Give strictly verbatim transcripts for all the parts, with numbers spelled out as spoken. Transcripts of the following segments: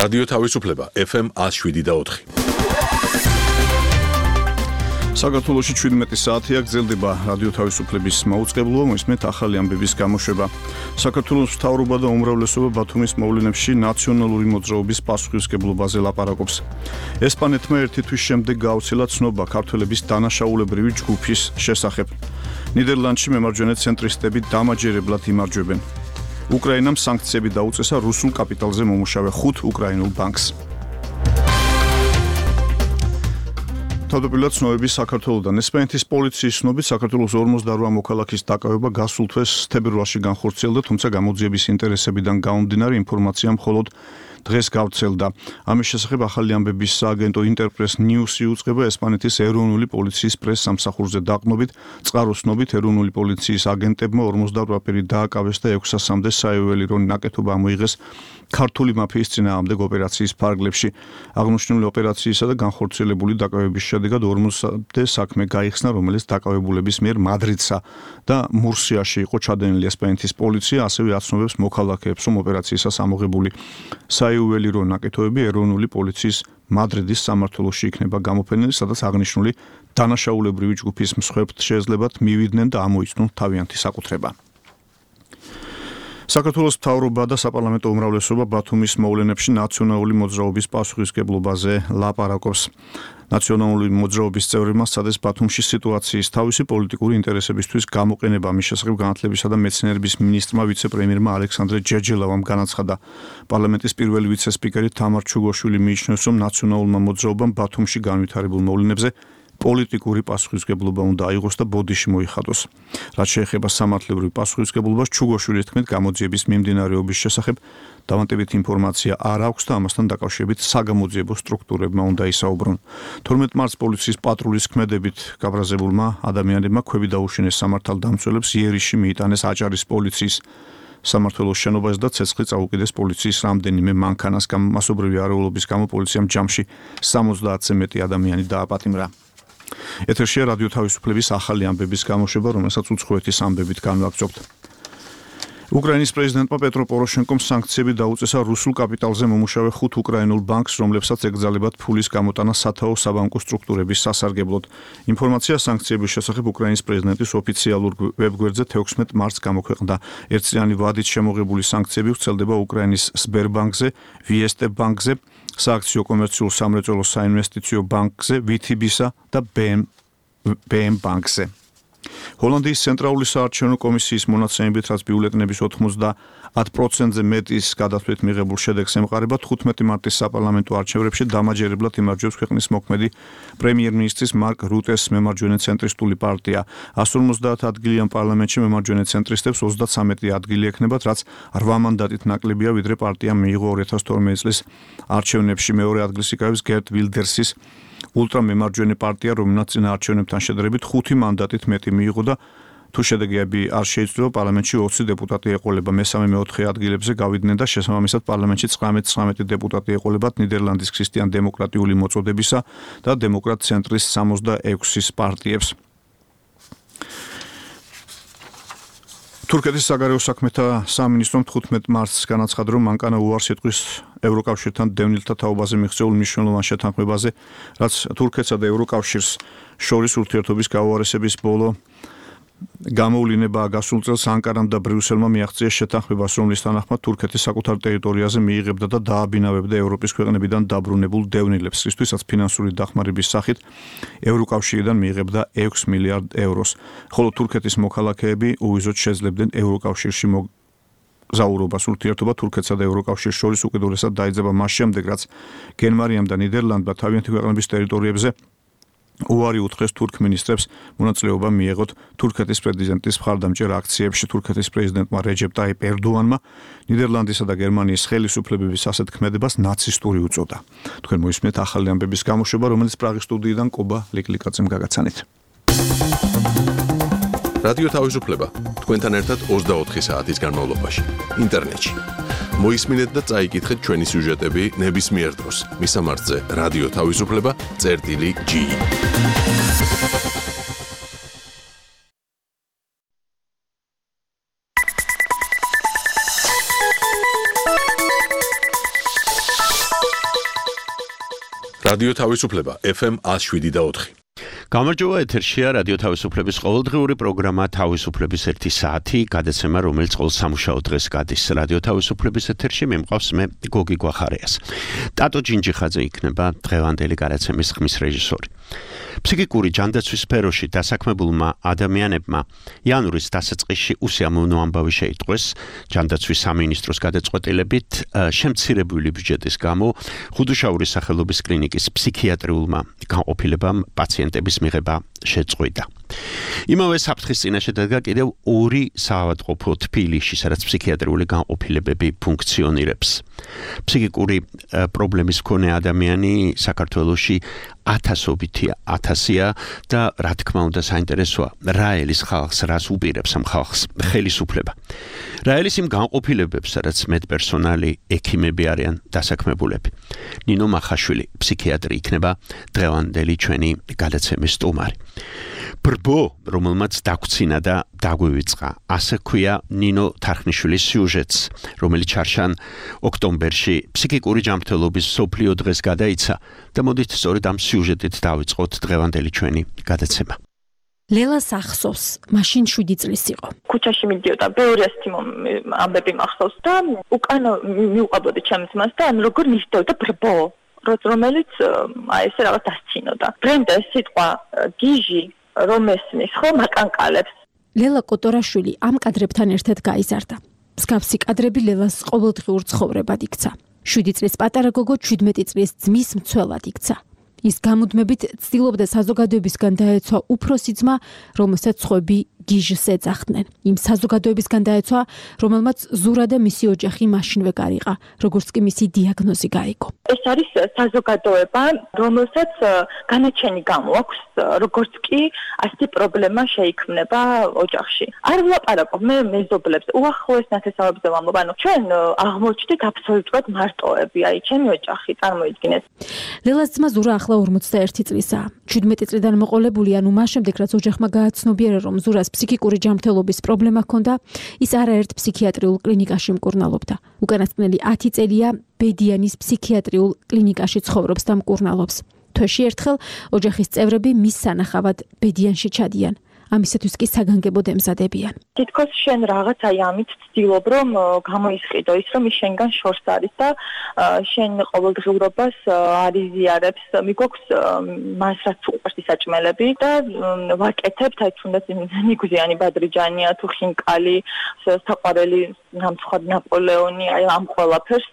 რადიო თავისუფლება ეფ ემ ათს შვიდი და ოთხი. საქართველოში შვიდმეტი საათია გრძელდება რადიო თავისუფლების მაუწყებლობა, მოისმენთ ახალი ამბების გამოშვება. საქართველოს მთავრობა და უმრავლესობა ბათუმის მოვლენებში ნაციონალური მოძრაობის პასუხისმგებლობაზე ლაპარაკობს. ესპანეთმა ერთი თვის შემდეგ გააუცილა ცნობა ქართველების დანაშაულებრივი ჯგუფის შესახებ. ნიდერლანდში მემარჯვენე ცენტრისტები დამაჯერებლად იმარჯვებენ. უკრაინამ სანქციები დაუწესა რუსულ კაპიტალზე მომუშავე ხუთ უკრაინულ ბანკს. თავდაპირველად ცნობები საქართველოდან. ესპანეთის პოლიციის ცნობით საქართველოს ორმოცდაორი მოქალაქის დაკავება გასულ თვეს თებერვალში განხორციელდა, თუმცა გამოძიების ინტერესებიდან გამომდინარე ინფორმაცია მხოლოდ დღეს გავრცელდა. ამის შესახებ ახალი ამბების სააგენტო ინტერპრეს ნიუსი უწყება ესპანეთის ეროვნული პოლიციის პრეს-სამსახურზე დაყრდნობით. წყაროს ცნობით ეროვნული პოლიციის აგენტებმა ორმოცდაორი ვაპირი დააკავეს და ექვსასამდე საიუველირო ნაკეთობა ამოიღეს ქართული მაფიის წინააღმდეგ ოპერაციის ფარგლებში. აღნიშნული ოპერაციისა და განხორციელებული დაკავების შედეგად ორმოცდამდე საქმე გაიხსნა, რომელიც დაკავებულების მიერ მადრიდსა და მურსიაში იყო ჩადენილი. ესპანეთის პოლიცია ასევე აცნობებს მოქალაქეებს, რომ ოპერაციისას ამოღებული საიუველირო ნაკეთობები ეროვნული პოლიციის მადრიდის სამმართველოში იქნება გამოფენილი, სადაც აღნიშნული დანაშაულებრივი ჯგუფის მსხვერპლთ შეეძლებათ მივიდნენ და ამოიცნონ თავიანთი საკუთრება. საქართველოს მთავრობა და საპარლამენტო უმრავლესობა ბათუმის მოვლენებში ნაციონალური მოძრაობის პასუხისმგებლობაზე ლაპარაკობს. ნაციონალური მოძრაობის წევრებმა სცადეს ბათუმში სიტუაციის თავისი პოლიტიკური ინტერესებისთვის გამოყენება. ამის შესახებ განათლებისა და მეცნიერების მინისტრმა ვიცე-პრემიერმა ალექსანდრე ჯერჯელავამ განაცხადა. პარლამენტის პირველი ვიცე-სპიკერი თამარ ჩუგოშვილი მიიჩნევს, რომ ნაციონალურმა მოძრაობამ ბათუმში განვითარებულ მოვლენებზე პოლიტიკური პასუხისმგებლობა უნდა აიღოს და ბოდიში მოიხადოს. რაც შეეხება სამართლებრივ პასუხისმგებლობას, ჩუგოშვილის თქმით, გამოძიების მიმდინარეობის შესახებ დავანტებით ინფორმაცია არ აქვს და ამასთან დაკავშირებით საგამოძიებო სტრუქტურებმა უნდა ისაუბრონ. თორმეტ მარტს პოლიციის პატრულის ქმედებით გაბრაზებულმა ადამიანებმა ქვევი დაუშინეს სამართალდამცველებს, იერიში მიიტანეს აჭარის პოლიციის სამმართველოს შენობას და ცეცხლი წაუკიდეს პოლიციის რამდენიმე მანქანას. მასობრივი არეულობის გამო პოლიციამ ჯამში სამოცდაათზე მეტი ადამიანი დააპატიმრა. ეთერშია რადიო თავისუფლების ახალი ამბების გამოშვება, რომელსაც უცხოეთის ამბებით განვაგრძობთ. უკრაინის პრეზიდენტმა პეტრო პოროშენკომ სანქციები დაუწესა რუსულ კაპიტალზე მომუშავე ხუთ უკრაინულ ბანკს, რომლებსაც ეკრძალებათ ფულის გამოტანა სათაო საბანკო სტრუქტურების სასარგებლოდ. ინფორმაცია სანქციების შესახებ უკრაინის პრეზიდენტის ოფიციალურ ვებგვერდზე თექვსმეტ მარტს გამოქვეყნდა. ერთწლიანი ვადით შემოღებული სანქციები ვრცელდება უკრაინის სბერბანკზე, ვიესტე ბანკზე, სააქციო კომერციულ სამრეწველო საინვესტიციო ბანკზე, ვიტიბისა და ბე ემ ბანკზე. ჰოლანდიის ცენტრალური საარჩევნო კომისიის მონაცემებით, რაც ბიულეტენების ოთხმოცდაათ პროცენტზე მეტის გადათვლით მიღებულ შედეგს ემყარება, თხუთმეტი მარტის საპარლამენტო არჩევნებში დამაჯერებლად იმარჯვებს ქვეყნის მოქმედი პრემიერ-მინისტრის მარკ რუტეს მემარჯვენე ცენტრისტული პარტია. εκατო ორმოცდაათ ადგილიან პარლამენტში მემარჯვენე ცენტრისტებს ოცდათსამეტი ადგილი ექნებათ, რაც რვა მანდატით ნაკლებია, ვიდრე პარტიამ მიიღო ორი ათას თორმეტი წლის არჩევნებში. მეორე ადგილს იკავებს გერტ ვილდერსის ულტრამემარჯვენე პარტია, რომელსაც წინა არჩევნებთან შედარებით ხუთი მანდატით მეტი მიიღო და თუ შედეგები არ შეიცვლება, პარლამენტში ოცი დეპუტატი ეყოლება. მესამე მეოთხე ადგილებზე გავიდნენ და შესაბამისად პარლამენტში ცხრამეტ ცხრამეტი დეპუტატი ეყოლებათ ნიდერლანდის ქრისტიან-დემოკრატიული მოწოდებისა და დემოკრატ-ცენტრის სამოცდაექვსის პარტიებს. თურქეთის საგარეო საქმეთა სამინისტრომ თხუთმეტ მარტს განაცხადა, რომ მანკანა უარს იტყვის ევროკავშირთან დევნილთა თაობაზე მიღწეულ მნიშვნელოვან შეთანხმებაზე, რაც თურქეთსა და ევროკავშირს შორის ურთიერთობის გაუარესების ბოლო გამოვლინებაა. გასულ წელს ანკარამ და ბრიუსელმა მიაღწიეს შეთანხმებას, რომლის თანახმად თურქეთი საკუთარ ტერიტორიაზე მიიღებდა და დააბინავებდა ევროპის ქვეყნებიდან დაბრუნებულ დევნილებს, რისთვისაც ფინანსური დახმარების სახით ევროკავშირიდან მიიღებდა ექვს მილიარდ ევროს. ხოლო თურქეთის მოქალაქეები უვიზოდ შეძლებდნენ ევროკავშირში მოგზაურობას. ურთიერთობა თურქეთსა და ევროკავშირს შორის უკიდურესად დაიძაბა მას შემდეგ, რაც გერმანიამ და ნიდერლანდმა თავიანთი ქვეყნების ტერიტორიებზე უარი უთხრეს თურქ მინისტრებს მონაწილეობა მიეღოთ თურქეთის პრეზიდენტის მხარდამჭერ აქციებში. თურქეთის პრეზიდენტმა რეჯეპ ტაიპ ერდოანმა ნიდერლანდისა და გერმანიის ხელისუფლებების ასეთ ქმედებას ნაცისტური უწოდა. თქვენ მოისმენთ ახალი ამბების გამოშვება, რომელიც პრაღის სტუდიიდან კობა ლიკლიკაძემ გაგაცანით. რადიო თავისუფლება თქვენთან ერთად ოცდაოთხი საათის განმავლობაში ინტერნეტში. მოისმინეთ და წაიკითხეთ ჩვენი სიუჟეტები ნებისმიერ დროს. მისამართზე რადიო თავისუფლება წერტილი ჯი. რადიო თავისუფლება ეფ ემ one oh seven point four. გამარჯობა, ეთერშია რადიო თავისუფლების ყოველდღიური პროგრამა თავისუფლების ერთი საათი, გადაცემა, რომელიც ყოველ სამუშაო დღეს გადის რადიო თავისუფლების ეთერში. მე მყავს მე გოგი გვახარიას. ტატო ჯინჯიხაძე იქნება დღევანდელი გადაცემის ხმის რეჟისორი. ფსიქიკური ჯანდაცვის სფეროში დასაქმებულმა ადამიანებმა იანვრის დასაწყისში უსიამოვნო ამბავი შეიტყვეს ჯანდაცვის სამინისტროს გადაწყვეტილებით შემცირებული ბიუჯეტის გამო ხუდუშაურის სახელობის კლინიკის ფსიქიატრიულმა განყოფილებამ პაციენტების მიღება შეწყვიტა. იმავე საფრთხის წინაშე დადგა კიდევ ორი საავადმყოფო თბილისში, სადაც ფსიქიატრიული განყოფილებები ფუნქციონირებს. ფსიქიკური პრობლემის მქონე ადამიანი საქართველოში ათასობითია, ათასია და რა თქმა უნდა საინტერესოა, რა ელის ხალხს რას უპირებს ამ ხალხს ხელისუფლება. რა ელის იმ განყოფილებებს, სადაც მედპერსონალი, ექიმები არიან დასაქმებულები. ნინო მახაშვილი, ფსიქიატრი იქნება დღევანდელი ჩვენი გადაცემის სტუმარი. ბრბო, რომელმაც დაგვრცინა და დაგვივიწყა. ასე ქვია ნინო თარხნიშვილის სიუჟეტს, რომელიც ჩარშან ოქტომბერში ფსიქიკური ჯანმრთელობის მსოფლიო დღეს გადაიცა და მოდით სწორედ ამ სიუჟეტით დავიწყოთ დღევანდელი ჩვენი გადაცემა. ლელას ახსოვს, მაშინ შვიდი წლის იყო. ქუჩაში მიდიოდა, ბევრი ასეთი ამბები მახსოვს და უკან მიუყვებოდი ჩემს მას და ანუ როგორ მისდევდა ბრბო, რომელიც აი ესე რაღაც დასცინოდა. ბრენდა ეს სიტყვა გიჟი რომ ესმის, ხო, მაკანკალებს. ლელა კოტორაშვილი ამ კადრებთან ერთად გაიზარდა. მსგავსი კადრები ლელას ყოველდღიურ ცხოვრებად იქცა. შვიდი წლის პატარა გოგო ჩვიდმეტი წლის ძმის მცველად იქცა. ის გამუდმებით ცდილობდა საზოგადოებისგან დაეცვა უფროსი ძმა, რომელსაც სხვები გიჟს ეძახდნენ. იმ საზოგადოებისგან დაეცვა, რომელმაც ზურა და მისი ოჯახი მაშინვე გარიყა, როგორც კი მისი დიაგნოზი გაიგო. ეს არის საზოგადოება, რომელსაც განაჩენი გამოაქვს, როგორც კი ასეთი პრობლემა შეიქმნება ოჯახში. არ ვლაპარაკობ მე მეზობლებს, უახლოეს ნათესავებზე ვამბობ, ანუ ჩვენ აღმოჩნდით აბსოლუტურად მარტოები, აი ჩემი ოჯახი, წარმოიდგინეთ. ლელას ძმა ზურა ახლა ორმოცდაერთი წლისაა. ჩვიდმეტი წლიდან მოყოლებული, ანუ მას შემდეგ რაც ოჯახმა გააცნობიერა, რომ ზურას ფსიქიკური ჯანმრთელობის პრობლემა ჰქონდა, ის არაერთ ფსიქიატრიულ კლინიკაში მკურნალობდა. უკანასკნელი ათი წელია ბედიანის ფსიქიატრიულ კლინიკაში ცხოვრობს და მკურნალობს. თვეში ერთხელ ოჯახის წევრები მის სანახავად ბედიანში ჩადიან. ამისათვის კი საგანგებოდ ემზადებიან. თითქოს შენ რაღაც აი ამით ცდილობ რომ გამოისყიდო ის რომ ის შენგან შორს არის და შენ ყოველდღიურობას არ იზიარებს, მიგოქვს მას რაც უყვარს ისაჭმელები და ვაკეთებთ აი თუნდაც ნიგუზიანი ბადრიჯანია თუ ხინკალი, საყვარელი ნამცხარი ნაპოლეონი, აი ამ ყველაფერს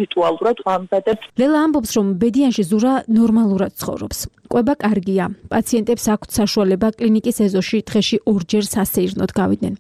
რიტუალურად ვამზადებ. ლელა ამბობს რომ ბედიანში ზურა ნორმალურად ცხოვრობს. კვება კარგია. პაციენტებს აქვთ საშუალება კლინიკის ეზოში დღეში ორჯერ სასეირნოდ გავიდნენ.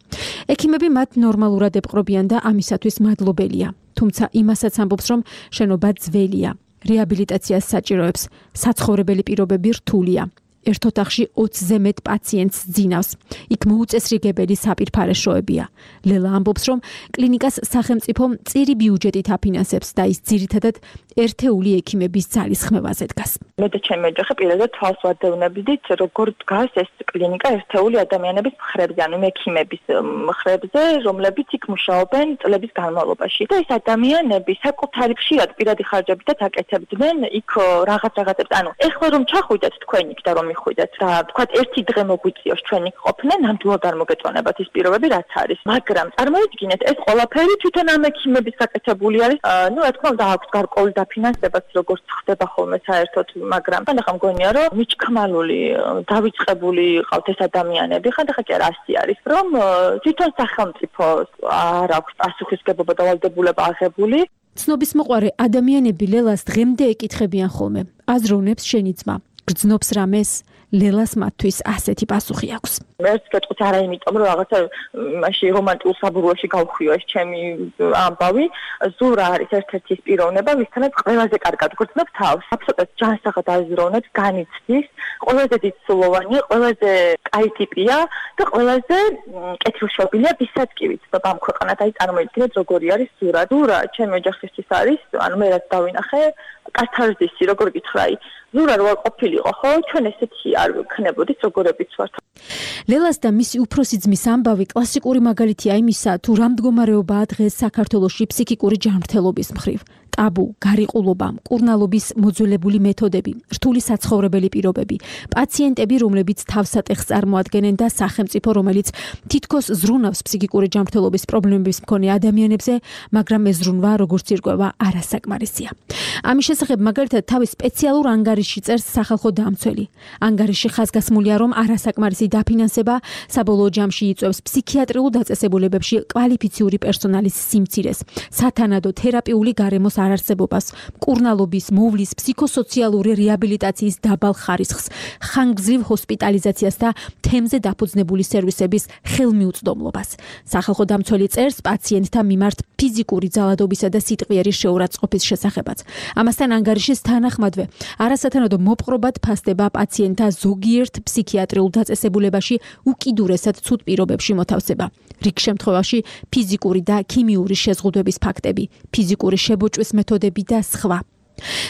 ექიმები მათ ნორმალურად ეპყრობიან და ამისათვის მადლობელია. თუმცა იმასაც ამბობს რომ შენობა ძველია. რეაბილიტაციას საჭიროებს. საცხოვრებელი პირობები რთულია. ერთ ოთახში ოცზე მეტ პაციენტს ძინავს. იქ მოუწესრიგებელი საპირფარეშოებია. ლელა ამბობს რომ კლინიკას სახელმწიფო მწირი ბიუჯეტით აფინანსებს და ის ძირითადად ერთეული ექიმების ძალისხმევაზე დგას. მე და ჩემი ოჯახი პირადად თვალს ვადევნებდით, როგორ დგას ეს კლინიკა ერთეული ადამიანების მხრებზე, ანუ ექიმების მხრებზე, რომლებიც იქ მუშაობენ წლების განმავლობაში. და ეს ადამიანები საკუთარი ხშირად პირადი ხარჯებითაც აკეთებდნენ იქ რაღაც რაღაცებს. ანუ ეხლა რომ ჩახვიდეთ თქვენ იქ და რომ მიხვიდეთ და თქვათ ერთი დღე მოგვიწიოს ჩვენ იქ ყოფნა, ნამდვილად არ მოგეწონებათ ის პირობები რაც არის. მაგრამ წარმოიდგინეთ, ეს ყველაფერი თვითონ ამ ექიმების გაკეთებული არის. ნუ რა თქმა უნდა აქვს გარკვეული დაფინანსებაც როგორც ხდება ხოლმე საერთოდ, მაგრამ ხანდახან მგონია რომ მიჩქმალული, დავიწყებული ყავთ ეს ადამიანები, ხანდახან კი არა ასე არის, რომ თვითონ სახელმწიფო არ აქვს პასუხისგებლობა და ვალდებულება აღებული. ცნობის მოყვარე ადამიანები ლელას დღემდე ეკითხებიან ხოლმე. აზროვნებს შენი ძმა. გრძნობს რამეს, ლელას მათთვის ასეთი პასუხი აქვს. მეც გეტყვით არა იმიტომ რომ რაღაცა მაშინ რომანტიკულ საბურავში გავხვიო ეს ჩემი ამბავი. ზურა არის ერთ-ერთი ის პიროვნება, ვისთანაც ყველაზე კარგად გრძნობს თავს. აბსოლუტურად ჯანსაღად აზროვნებს, განიცდის, ყველაზე დიდსულოვანია, ყველაზე კაი ტიპია და ყველაზე კეთილშობილია, ვისაც კი ვიცნობ ამ ქვეყანად. აი წარმოიდგინეთ როგორი არის ზურა. ზურა ჩემი ოჯახისთვის არის, ანუ მე რაც დავინახე, კათარზისი, როგორ გითხრა, ზურა რო არ ყოფილიყო, ხო, ჩვენ ესეთი არ ვქნებოდით, როგორებიც ვართ. ლელას და მისი უფროსი ძმის ამბავი კლასიკური მაგალითია იმისა, თუ რა მდგომარეობაა დღეს საქართველოში ფსიქიკური ჯანმრთელობის მხრივ. ტაბუ, გარიყულობა, მკურნალობის მოძველებული მეთოდები, რთული საცხოვრებელი პირობები, პაციენტები, რომლებიც თავსატეხს წარმოადგენენ და სახელმწიფო, რომელიც თითქოს ზრუნავს ფსიქიკური ჯანმრთელობის პრობლემების მქონე ადამიანებზე, მაგრამ ეს ზრუნვა, როგორც ირკვევა, არასაკმარისია. ამის შესახებ მაგალითად თავის სპეციალურ ანგარიშში წერს სახალხო დამცველი. ანგარიში ხაზგასმულია, რომ არასაკმარისი დაფინანსება საბოლოო ჯამში იწვევს ფსიქიატრიულ დაწესებულებებში კვალიფიციური პერსონალის სიმცირეს, სათანადო თერაპიული გარემოს არარსებობას, მკურნალობის, მოვლის, ფსიქოსოციალური რეაბილიტაციის დაბალ ხარისხს, ხანგრძლივ ჰოსპიტალიზაციას და თემზე დაფუძნებული სერვისების ხელმიუწვდომლობას. სახალხო დამცველი წერს პაციენტთა მიმართ ფიზიკური ძალადობისა და სიტყვიერი შეურაცხყოფის შესახებაც. ამასთან ანგარიშის თანახმადვე, არასათანადო მოპყრობად ფასდება პაციენტთა ზოგიერთ ფსიქიატრიულ დაწესებულებაში უკიდურესად ცუდ პირობებში მოთავსება. რიგ შემთხვევაში ფიზიკური და ქიმიური შეზღუდვების ფაქტები, ფიზიკური შებოჭვის მეთოდები და სხვა.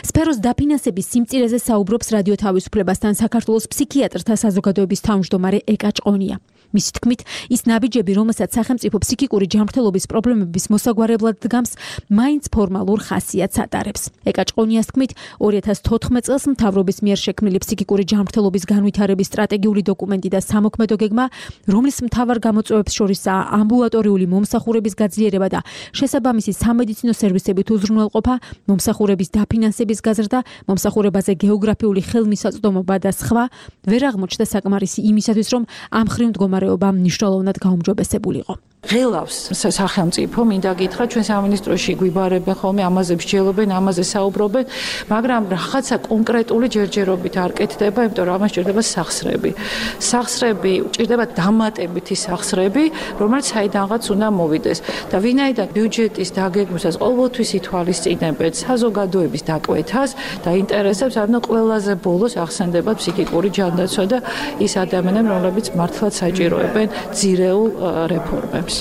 სფეროს დაფინანსების სიმწირეზე საუბრობს რადიო თავისუფლებასთან საქართველოს ფსიქიატრთა საზოგადოების თავმჯდომარე ეკა ჭყონია. მისი თქმით, ის ნაბიჯები, რომელსაც სახელმწიფო ფსიქიკური ჯანმრთელობის პრობლემების მოსაგვარებლად დგამს, მაინც ფორმალურ ხასიათს ატარებს. ეკა ჭყონიას თქმით, ორი ათას თოთხმეტ წელს მთავრობის მიერ შექმნილი ფსიქიკური ჯანმრთელობის განვითარების სტრატეგიული დოკუმენტი და სამოქმედო გეგმა, რომლის მთავარ გამოწვევებს შორისაა ამბულატორიული მომსახურების გაძლიერება და შესაბამისი სამედიცინო სერვისებით უზრუნველყოფა, მომსახურების დაფინანსების გაზრდა, მომსახურებაზე გეოგრაფიული ხელმისაწვდომობა და სხვა, ვერ აღმოჩნდა საკმარისი იმისათვის, რომ ამ ხრივ მდგომარეობა მნიშვნელოვნად გაუმჯობესებულიყო. ღელავს სახელმწიფო, მინდა გითხრა, ჩვენ სამინისტროში გვიბარებენ ხოლმე, ამაზე მსჯელობენ, ამაზე საუბრობენ, მაგრამ რაღაცა კონკრეტული ჯერჯერობით არ კეთდება, იმიტომ რომ ამას ჭირდება სახსრები. სახსრები, ჭირდება დამატებითი სახსრები, რომელიც საიდანღაც უნდა მოვიდეს. და ვინაიდან ბიუჯეტის დაგეგმვისას ყოველთვის ითვალისწინებენ საზოგადოების დაკვეთას და ინტერესებს, ანუ ყველაზე ბოლოს ახსენდება ფსიქიკური ჯანდაცვა და ის ადამიანები, რომლებიც მართლაც საჭიროებენ ძირეულ რეფორმებს.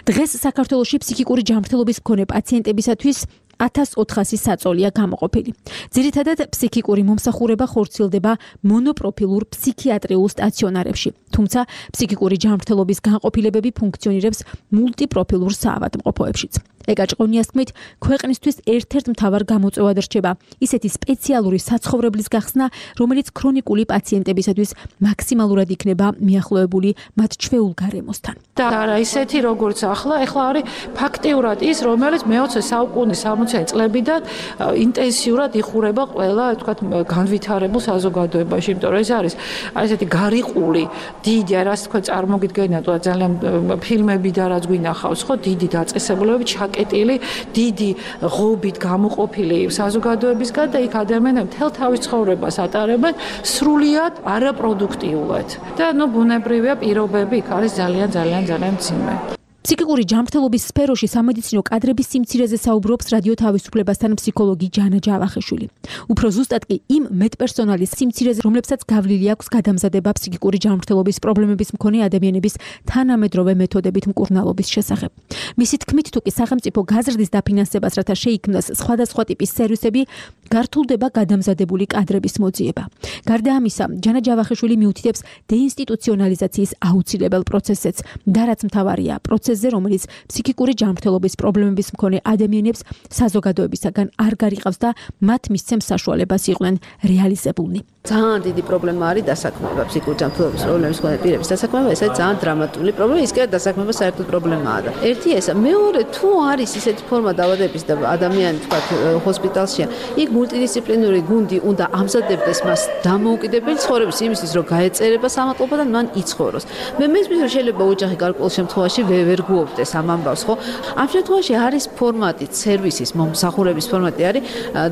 დღეს საქართველოში ფსიქიკური ჯანმრთელობის მქონე პაციენტებისათვის ათას ოთხასი საწოლია გამოყოფილი. ძირითადად ფსიქიკური მომსახურება ხორციელდება მონოპროფილურ ფსიქიატრიულ სტაციონარებში, თუმცა ფსიქიკური ჯანმრთელობის განყოფილებები ფუნქციონირებს მულტიპროფილურ საავადმყოფოებშიც. ეკა ჭყონიას თქმით, ქვეყნისთვის ერთ-ერთ მთავარ გამოწვევად რჩება ისეთი სპეციალური საცხოვრებლის გახსნა, რომელიც ქრონიკული პაციენტებისათვის მაქსიმალურად იქნება მიახლოებული მათ ჩვეულ გარემოსთან. და არა ისეთი როგორც ახლა, ახლა არის ფაქტიურად ის, რომელიც მეოცე საუკუნის სამოცე წლებიდან ინტენსიურად იხურება ყველა, თქვათ, განვითარებულ საზოგადოებაში, იმიტომ რომ ეს არის ესეთი გარიყული, დიდი, რაც თქვენ წარმოგიდგენიათ, ძალიან ფილმები და რაც გვინახავს, ხო, დიდი დაწესებულებები ჩაკეტილი, დიდი ღობით გამოყოფილი საზოგადოებისგან და იქ ადამიანები მთელ თავის ცხოვრებას ატარებენ სრულიად არაპროდუქტიულად. და ნუ ბუნებრივია პირობები იქ არის ძალიან ძალიან ძალიან მძიმე. ფსიქიკური ჯანმრთელობის სფეროში სამედიცინო კადრების სიმცირეზე საუბრობს რადიო თავისუფლებასთან ფსიქოლოგი ჯანა ჯავახიშვილი. უფრო ზუსტად კი იმ მეტპერსონალის სიმცირეზე, რომლებსაც გავლილი აქვს გადამზადება ფსიქიკური ჯანმრთელობის პრობლემების მქონე ადამიანების თანამედროვე მეთოდებით მკურნალობის შესახებ. მისი თქმით, თუ კი სახელმწიფო გაზრდის დაფინანსებას, რათა შეიქმნას სხვადასხვა ტიპის სერვისები, გართულდება გადამზადებული კადრების მოძიება. გარდა ამისა, ჯანა ჯავახიშვილი მიუთითებს დეინსტიტუციონალიზაციის აუცილებელ პროცესებს და რაც მთავარია, პროცესზე, რომელიც ფსიქიკური ჯანმრთელობის პრობლემების მქონე ადამიანებს საზოგადოებისაგან არ გარიყავს და მათ მისცემს საშუალებას იყვნენ რეალიზებულნი. ძალიან დიდი პრობლემა არის დასაქმება ფსიქიკური ჯანმრთელობის პრობლემის მქონე პირების დასაქმება, ეს არის ძალიან დრამატული პრობლემა, ის კი არა დასაქმება საერთოდ პრობლემაა და ერთი ესა, მეორე თუ არის ისეთი ფორმა დაავადების და ადამიანი თქვა ჰოსპიტალშია, იქ მულტიდისციპლინური გუნდი უნდა ამზადებდეს მას დამოუკიდებელი ცხოვრების იმისთვის, რომ გაეწერება სამატლობა და მან იცხოვროს. მე მესმის რომ შეიძლება ოჯახი გარკვეულ შემთხვევაში ვერ გუობდეს ამ ამბავს, ხო? ამ შემთხვევაში არის ფორმატი, სერვისის მომსახურების ფორმატი არის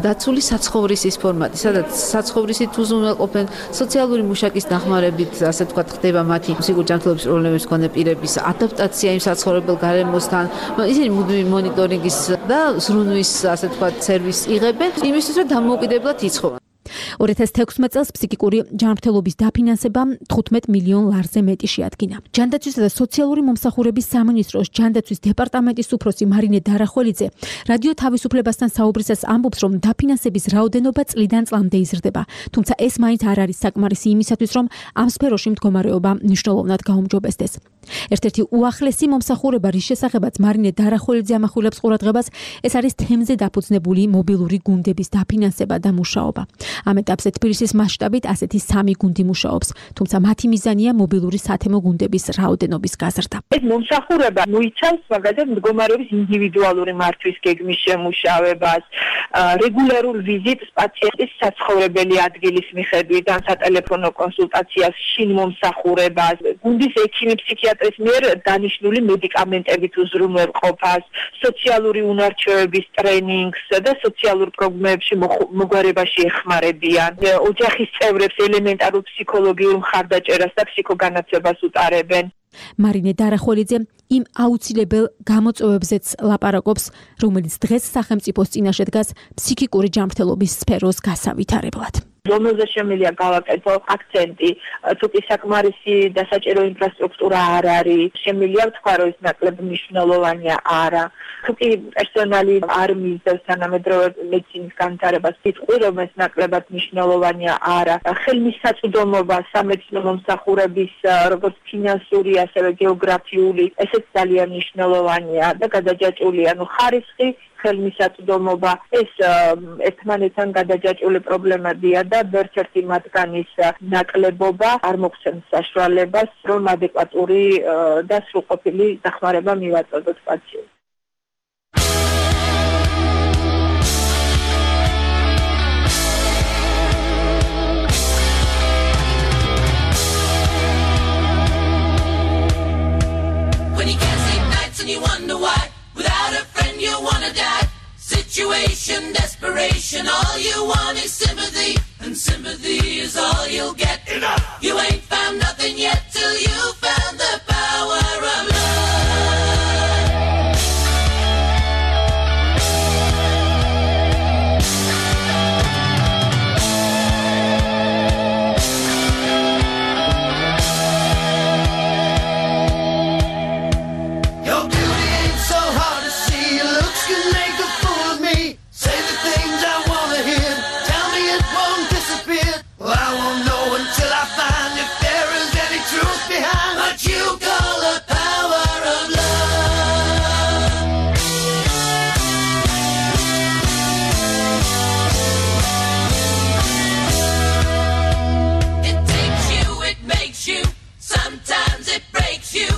დაცული საცხოვრისის ფორმატი, სადაც საცხოვრისით უზრუნველყოფენ სოციალური მუშაკის დახმარებით, ასე ვთქვათ, ხდება მათი ფსიქიკური ჯანმრთელობის პრობლემების მქონე პირების ადაპტაცია იმ საცხოვრებელ გარემოსთან. ისინი მუდმივი მონიტორინგის და ზრუნვის, ასე ვთქვათ, სერვისს იღებენ, იმისთვის, რომ დამოუკიდებლად იცხოვრონ. ორი ათას თექვსმეტ წელს ფსიქიკური ჯანმრთელობის დაფინანსება თხუთმეტ მილიონ ლარზე მეტი შეადგინა. ჯანდაცვისა და სოციალური მომსახურების სამინისტროს ჯანდაცვის დეპარტამენტის უფროსი მარინე დარახველიძე რადიო თავისუფლებასთან საუბრისას ამბობს, რომ დაფინანსების რაოდენობა წლიდან წლამდე იზრდება, თუმცა ეს მაინც არ არის საკმარისი იმისათვის, რომ ამ სფეროში მდგომარეობა მნიშვნელოვნად გაუმჯობესდეს. ერთ-ერთი უახლესი მომსახურება, რის შესახებაც მარინე დარახველიძე ამახვილებს ყურადღებას, ეს არის თემზე დაფუძნებული მობილური გუნდების დაფინანსება და მუშაობა. ამ ეტაპზე თბილისის მასშტაბით ასეთი სამი გუნდი მუშაობს, თუმცა მათი მიზანია მობილური სათემო გუნდების რაოდენობის გაზრდა. ეს მომსახურება მოიცავს მაგალითად მდგომარეობის ინდივიდუალური მართვის გეგმის შემუშავებას, რეგულარულ ვიზიტს პაციენტის საცხოვრებელი ადგილის მიხედვით, ან სატელეფონო კონსულტაციას, შინ მომსახურებას, გუნდის ექიმი ფსიქიატრის მიერ დანიშნული მედიკამენტებით უზრუნველყოფას, სოციალური უნარჩვევების ტრენინგს და სოციალურ პრობლემებში მოგვარებაში ეხმარებიან. ოჯახის წევრებს ელემენტარულ ფსიქოლოგიურ მხარდაჭერას და ფსიქოგანაცვლებას უტარებენ. მარინე დარახველიძე იმ აუცილებელ გამოწვევებზეც ლაპარაკობს, რომელიც დღეს სახელმწიფოს წინაშე დგას ფსიქიკური ჯანმრთელობის სფეროს გასავითარებლად. რომელზე შემიძლია გავაკეთო აქცენტი, თუ კი საკმარისი დასაჭირო ინფრასტრუქტურა არ არის, შემიძლია ვთქვა, რომ ეს ნაკლებ მნიშვნელოვანია არა. თუ კი პერსონალი არ მისდევს თანამედროვე მედიცინის განვითარებას, ვიტყვი, რომ ეს ნაკლებად მნიშვნელოვანია არა. ხელმისაწვდომობა სამედიცინო მომსახურების როგორც ფინანსური, ასევე გეოგრაფიული, ესეც ძალიან მნიშვნელოვანია და გადაჯაჭვულია. ნუ ხარისხი ხელმისაწვდომობა ეს ერთმანეთთან გადაჯაჭვული პრობლემებია და ერთ-ერთი მათგანის ნაკლებობა არ მოგცემს საშუალებას, რომ ადეკვატური და სრულყოფილი დახმარება მივაწოდოთ პაციენტს. When you can't sleep nights and you wonder why, without a friend you wanna die. Situation, desperation, all you want is sympathy, and sympathy is all you'll get. Enough. You ain't found nothing yet till you found the power of love. Your beauty ain't so hard to see, your looks can make a fool of me. Say the things I wanna hear, tell me it won't disappear. Well, I won't know until I find if there is any truth behind what you call the power of love. It takes you, it makes you, sometimes it breaks you.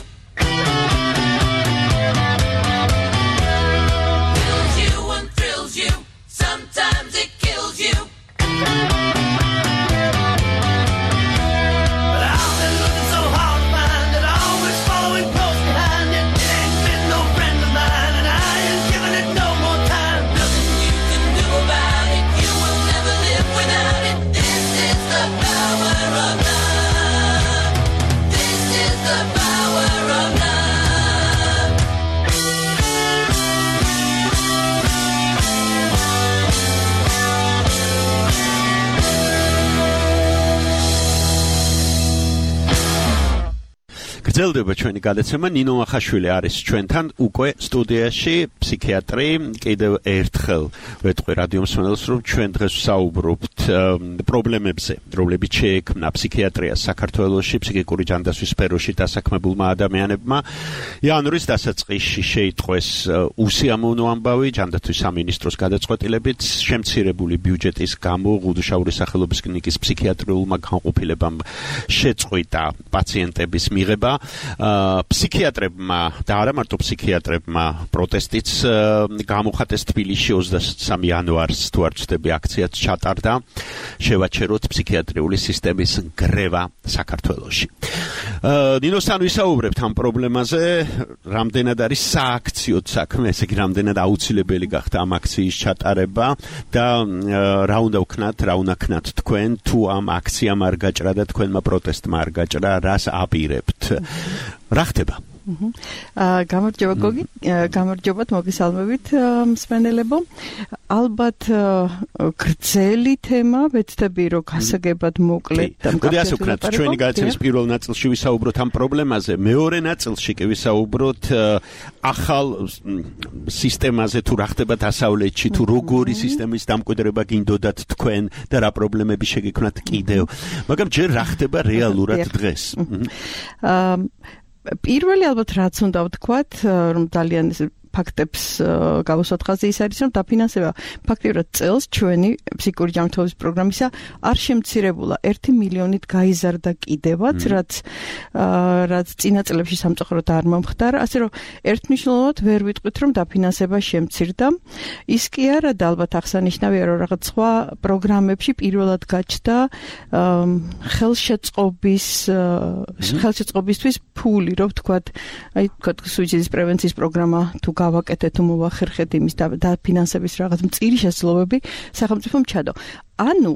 Fills you and thrills you, sometimes it kills you. But I've been looking so hard to find it, always following close behind it. It ain't been no friend of mine, and I ain't giving it no more time. Nothing you can do about it, you will never live without it. This is the power of love. This is the power of love. გრძელდება ჩვენი გადაცემა. ნინო ახაშვილი არის ჩვენთან უკვე სტუდიაში, ფსიქიატრი. კიდევ ერთხელ ვეთქვი რადიო მსმენელს, რომ ჩვენ დღეს ვსაუბრობთ პრობლემებზე, რომლებიც შეექმნა ფსიქიატრიას საქართველოში, ფსიქიკური ჯანდაცვის სფეროში დასაქმებულმა ადამიანებმა. იანვრის დასაწყისში შეიტყვეს უსიამოვნო ამბავი ჯანდაცვის სამინისტროს გადაწყვეტილებით, შემცირებული ბიუჯეტის გამო ღუდუშაურის სახელობის კლინიკის ფსიქიატრიულმა განყოფილებამ შეწყვიტა პაციენტების მიღება. ფსიქიატრებმა და არა მარტო ფსიქიატრებმა პროტესტიც გამოხატეს თბილისში ოცდასამი იანვარს, თუ არ ვცდები, აქციაც ჩატარდა. შევაჩეროთ ფსიქიატრიული სისტემის გრევა საქართველოში. ნინოსთან ვისაუბრებთ ამ პრობლემაზე, რამდენად არის სააქციოდ საქმე, ესე იგი რამდენად აუცილებელი გახდა ამ აქციის ჩატარება და რა უნდა ვქნათ, რა უნდა ქნათ თქვენ, თუ ამ აქციამ არ გაჭრა და თქვენმა პროტესტმა არ გაჭრა, რას აპირებთ? რა ხდება? აა გამარჯობა გოგი, გამარჯობათ მოგესალმებით მსმენელებო. ალბათ გრძელი თემა, ვეცდები რომ გასაგებად მოკლედ და მკაფიოდ. მოდი ასე ვქნათ, ჩვენი გადაცემის პირველ ნაწილში ვისაუბროთ ამ პრობლემაზე, მეორე ნაწილში კი ვისაუბროთ ახალ სისტემაზე თუ რა ხდება დასავლეთში, თუ როგორი სისტემის დამკვიდრება გინდოდათ თქვენ და რა პრობლემები შეგექმნათ კიდევ. მაგრამ ჯერ რა ხდება რეალურად დღეს? აა პირველი ალბათ რაც უნდა ვთქვათ, რომ ძალიან ფაქტებს გავუსვათ ხაზი ის არის, რომ დაფინანსება ფაქტიურად წელს ჩვენი ფსიქიკური ჯანმრთელობის პროგრამისა არ შემცირებულა ერთი მილიონით გაიზარდა კიდევაც, რაც რაც წინა წლებში სამწუხაროდ არ მომხდარა, ასე რომ ერთმნიშვნელოვნად ვერ ვიტყვით, რომ დაფინანსება შემცირდა. ის კი არა და ალბათ აღსანიშნავია, რომ რაღაც სხვა პროგრამებში პირველად გაჩნდა ხელშეწყობის ხელშეწყობისთვის ფული, რომ ვთქვათ, აი ვთქვათ სუიციდის პრევენციის პროგრამა თუ გავაკეთეთ თუ მოვახერხეთ იმის დაფინანსების რაღაც მწირი შესაძლებლობები სახელმწიფომ ჩადო. ანუ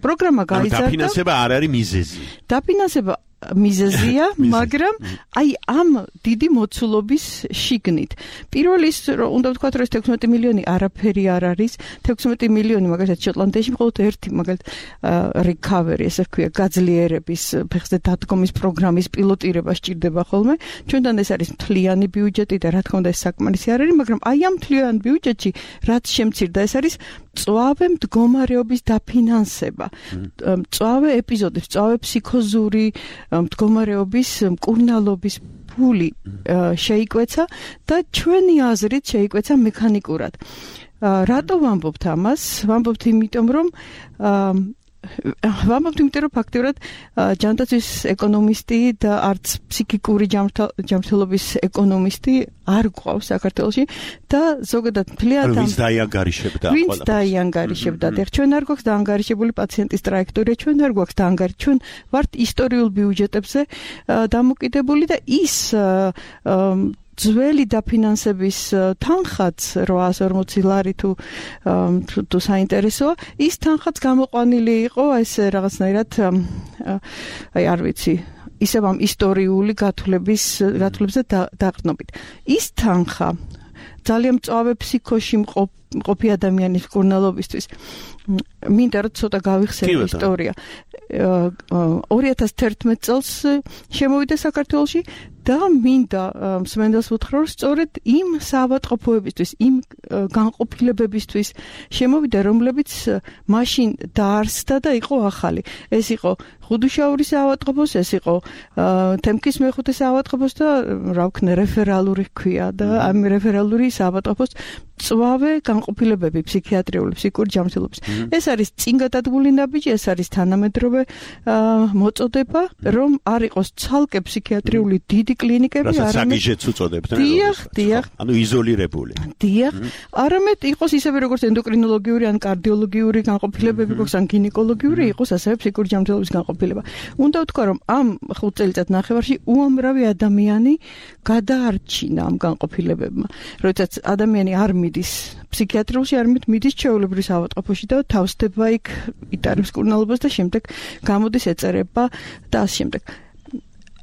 პროგრამა გაიზარდა. დაფინანსება არ არის მიზეზი. დაფინანსება მიზეზია, მაგრამ აი ამ დიდი მოცულობის შიგნით. პირველი ის რომ უნდა ვთქვათ, რომ ეს თექვსმეტი მილიონი არაფერი არ არის. თექვსმეტი მილიონი მაგალითად შოტლანდიაში მხოლოდ ერთი მაგალითად recovery, ესე ვქვია, გაძლიერების ფეხზე დადგომის პროგრამის პილოტირება სჭირდება ხოლმე. ჩვენთან ეს არის მთლიანი ბიუჯეტი და რა თქმა უნდა ეს საკმარისი არ არის, მაგრამ აი ამ მთლიან ბიუჯეტში რაც შემცირდა, ეს არის მწვავე მდგომარეობის დაფინანსება. მწვავე ეპიზოდების, მწვავე ფსიქოზური მდგომარეობის მკურნალობის ფული შეიკვეცა და ჩვენი აზრით შეიკვეცა მექანიკურად. რატო ვამბობთ ამას? ვამბობთ იმიტომ, რომ ვამბობთ იმიტომ, რომ ფაქტიურად ჯანდაცვის ეკონომისტი და არც ფსიქიკური ჯანმრთელობის ეკონომისტი არ გვყავს საქართველოში და ზოგადად მთლიანად ვინც დაიანგარიშებდა ყველაფერს. ვინც დაიანგარიშებდა. ჩვენ არ გვაქვს დაანგარიშებული პაციენტის ტრაექტორია, ჩვენ არ გვაქვს დაანგარიშებული, ჩვენ ვართ ისტორიულ ბიუჯეტებზე დამოკიდებული და ის ძველი დაფინანსების თანხაც რვაას ორმოცი ლარი თუ თუ საინტერესოა, ის თანხაც გამოყვანილი იყო ეს რაღაცნაირად აი არ ვიცი ისევ ამ ისტორიული გათვლების გათვლებზე დაყრდნობით. ის თანხა ძალიან მწვავე ფსიქოში მყოფი ადამიანის მკურნალობისთვის მინდა რომ ცოტა გავიხსენო ისტორია. ორი ათას თერთმეტ წელს შემოვიდა საქართველოში და მინდა მსმენელს ვუთხრა, რომ სწორედ იმ საავადმყოფოებისთვის, იმ განყოფილებებისთვის შემოვიდა, რომლებიც მაშინ დაარსდა და იყო ახალი. ეს იყო ხუდუშაურის საავადმყოფოს, ეს იყო თემქის მეხუთე საავადმყოფოს და რა ვქნა რეფერალური ჰქვია და ამ რეფერალური საავადმყოფოს მწვავე განყოფილებები ფსიქიატრიული, ფსიქიკური ჯანმრთელობის. ეს არის წინ გადადგმული ნაბიჯი, ეს არის თანამედროვე მოწოდება, რომ არ იყოს ცალკე ფსიქიატრიული დიდი კლინიკები, არამედ საგიჟეც უწოდებთ, დიახ, დიახ, ანუ იზოლირებული. დიახ, არამედ იყოს ისევე როგორც ენდოკრინოლოგიური ან კარდიოლოგიური განყოფილებები გვაქვს, ან გინეკოლოგიური, იყოს ასევე ფსიქიკური ჯანმრთელობის განყოფილება. უნდა ვთქვა, რომ ამ ხუთ წელიწად ნახევარში უამრავი ადამიანი გადაარჩინა ამ განყოფილებებმა. როდესაც ადამიანი არ მიდის ფსიქიატრიაში, არ მიდის ჩვეულებრივ საავადმყოფოში და თავსდება იქ, იტარებს მკურნალობას და შემდეგ გამოდის ეწერება და ამ შემდეგ.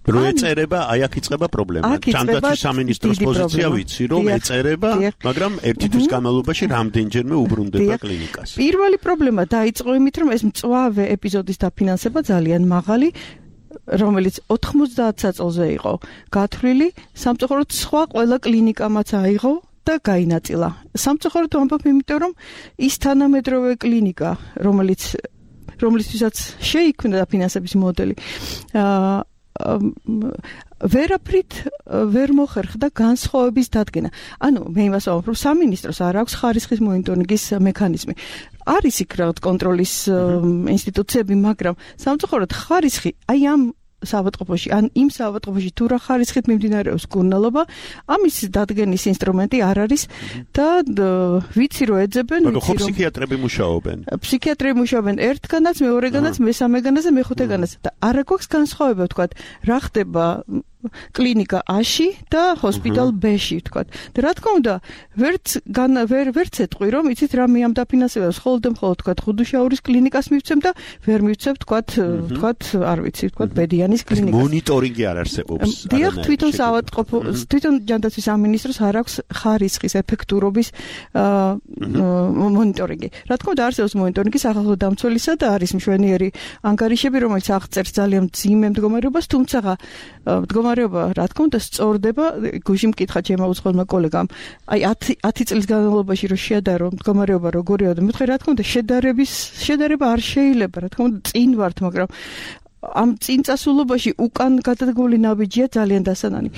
რო ეწერება, აი აქ იწყება პრობლემა. ჯანდაცვის სამინისტროს პოზიცია ვიცი, რომ ეწერება, მაგრამ ერთი თვის განმავლობაში რამდენჯერმე უბრუნდება კლინიკას. პირველი პრობლემა დაიწყო იმით, რომ ეს მწვავე ეპიზოდის დაფინანსება ძალიან მაღალი, რომელიც ოთხმოცდაათ საწოლზე იყო გათვლილი, სამწუხაროდ სხვა ყველა კლინიკამაც აიღო და გაინაწილა. სამწუხაროდ ვამბობ, იმიტომ რომ ის თანამედროვე კლინიკა, რომელიც რომლისთვისაც შეიქმნა დაფინანსების მოდელი, აა ვერაფრით ვერ მოხერხდა განსხვავების დადგენა. ანუ მე იმას ვამბობ, რომ სამინისტროს არ აქვს ხარისხის მონიტორინგის მექანიზმი. არის იქ რაღაც კონტროლის ინსტიტუციები, მაგრამ სამწუხაროდ ხარისხი აი ამ საავადმყოფოში, ან იმ საავადმყოფოში თუ რა ხარისხით მიმდინარეობს მკურნალობა, ამის დადგენის ინსტრუმენტი არ არის და ვიცი რომ ეძებენ, ვიცი რომ ხო ფსიქიატრები მუშაობენ. ფსიქიატრები მუშაობენ ერთგანაც, მეორეგანაც, მესამეგანაც და მეხუთეგანაც და არა გვაქვს განსხვავება, ვთქვათ, რა ხდება კლინიკა A-ში და ჰოსპიტალ B-ში, ვთქვათ. და რა თქმა უნდა, ვერც ვერ ვერც ეტყვი, რომ იცით რა მე ამ დაფინანსებას მხოლოდ და მხოლოდ ვთქვათ ხუდუშაურის კლინიკას მივცემ და ვერ მივცემ ვთქვათ, ვთქვათ, არ ვიცი, ვთქვათ ბედიანის კლინიკას. მონიტორინგი არ არსებობს. დიახ, თვითონ საავადმყოფო, თვითონ ჯანდაცვის სამინისტროს არ აქვს ხარისხის ეფექტურობის მონიტორინგი. რა თქმა უნდა, არსებობს მონიტორინგი სახალხო დამცველისა და არის მშვენიერი ანგარიშები, რომელიც აღწერს ძალიან მძიმე მდგომარეობას, თუმცა მდგომარეობა, რა თქმა უნდა, სწორდება, გუშინ მკითხა ჩემმა უცხოელმა კოლეგამ, აი ათი წლის განმავლობაში რომ შეადარო მდგომარეობა როგორია და მეთქე, რა თქმა უნდა, შედარების შედარება არ შეიძლება, რა თქმა უნდა, წინ ვართ, მაგრამ ამ წინწასულობაში უკან გადადგმული ნაბიჯია ძალიან დასანანი.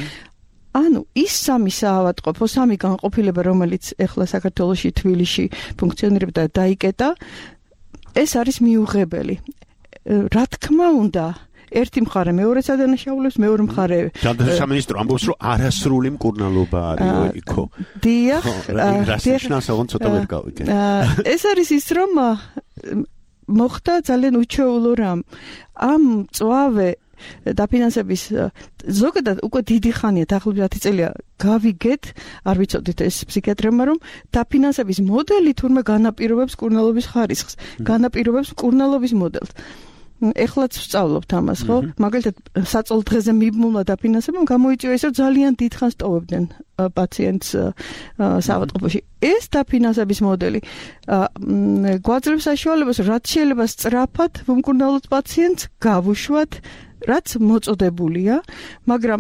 ანუ ის სამი საავადმყოფო, სამი განყოფილება, რომელიც ეხლა საქართველოში თბილისში ფუნქციონირებდა და დაიკეტა, ეს არის მიუღებელი. რა თქმა უნდა, ერთი მხარე მეორეც ადანაშაულებს, მეორე მხარე ჯანდაცვის სამინისტრო ამბობს, რომ არასრული მკურნალობა არის იქო. დიახ, რასნიშნავს, ცოტა ვერ გავიგე. ეს არის ის, რომ მოხდა ძალიან უჩვეულო რამ. ამ მწვავე დაფინანსების ზოგადად უკვე დიდი ხანია, დაახლოებით ათი წელია გავიგეთ, არ ვიცოდით ეს ფსიქიატრებმა, რომ დაფინანსების მოდელი თურმე განაპირობებს მკურნალობის ხარისხს, განაპირობებს მკურნალობის მოდელს. ეხლაც ვსწავლობთ ამას, ხო? მაგალითად, საწოლ დღეზე მიბმულმა დაფინანსებამ გამოიწვია ის, რომ ძალიან დიდხანს ტოვებდნენ პაციენტს საავადმყოფოში. ეს დაფინანსების მოდელი გვაძლევს საშუალებას, რაც შეიძლება სწრაფად ვუმკურნალოთ პაციენტს, გავუშვათ, რაც მოწოდებულია, მაგრამ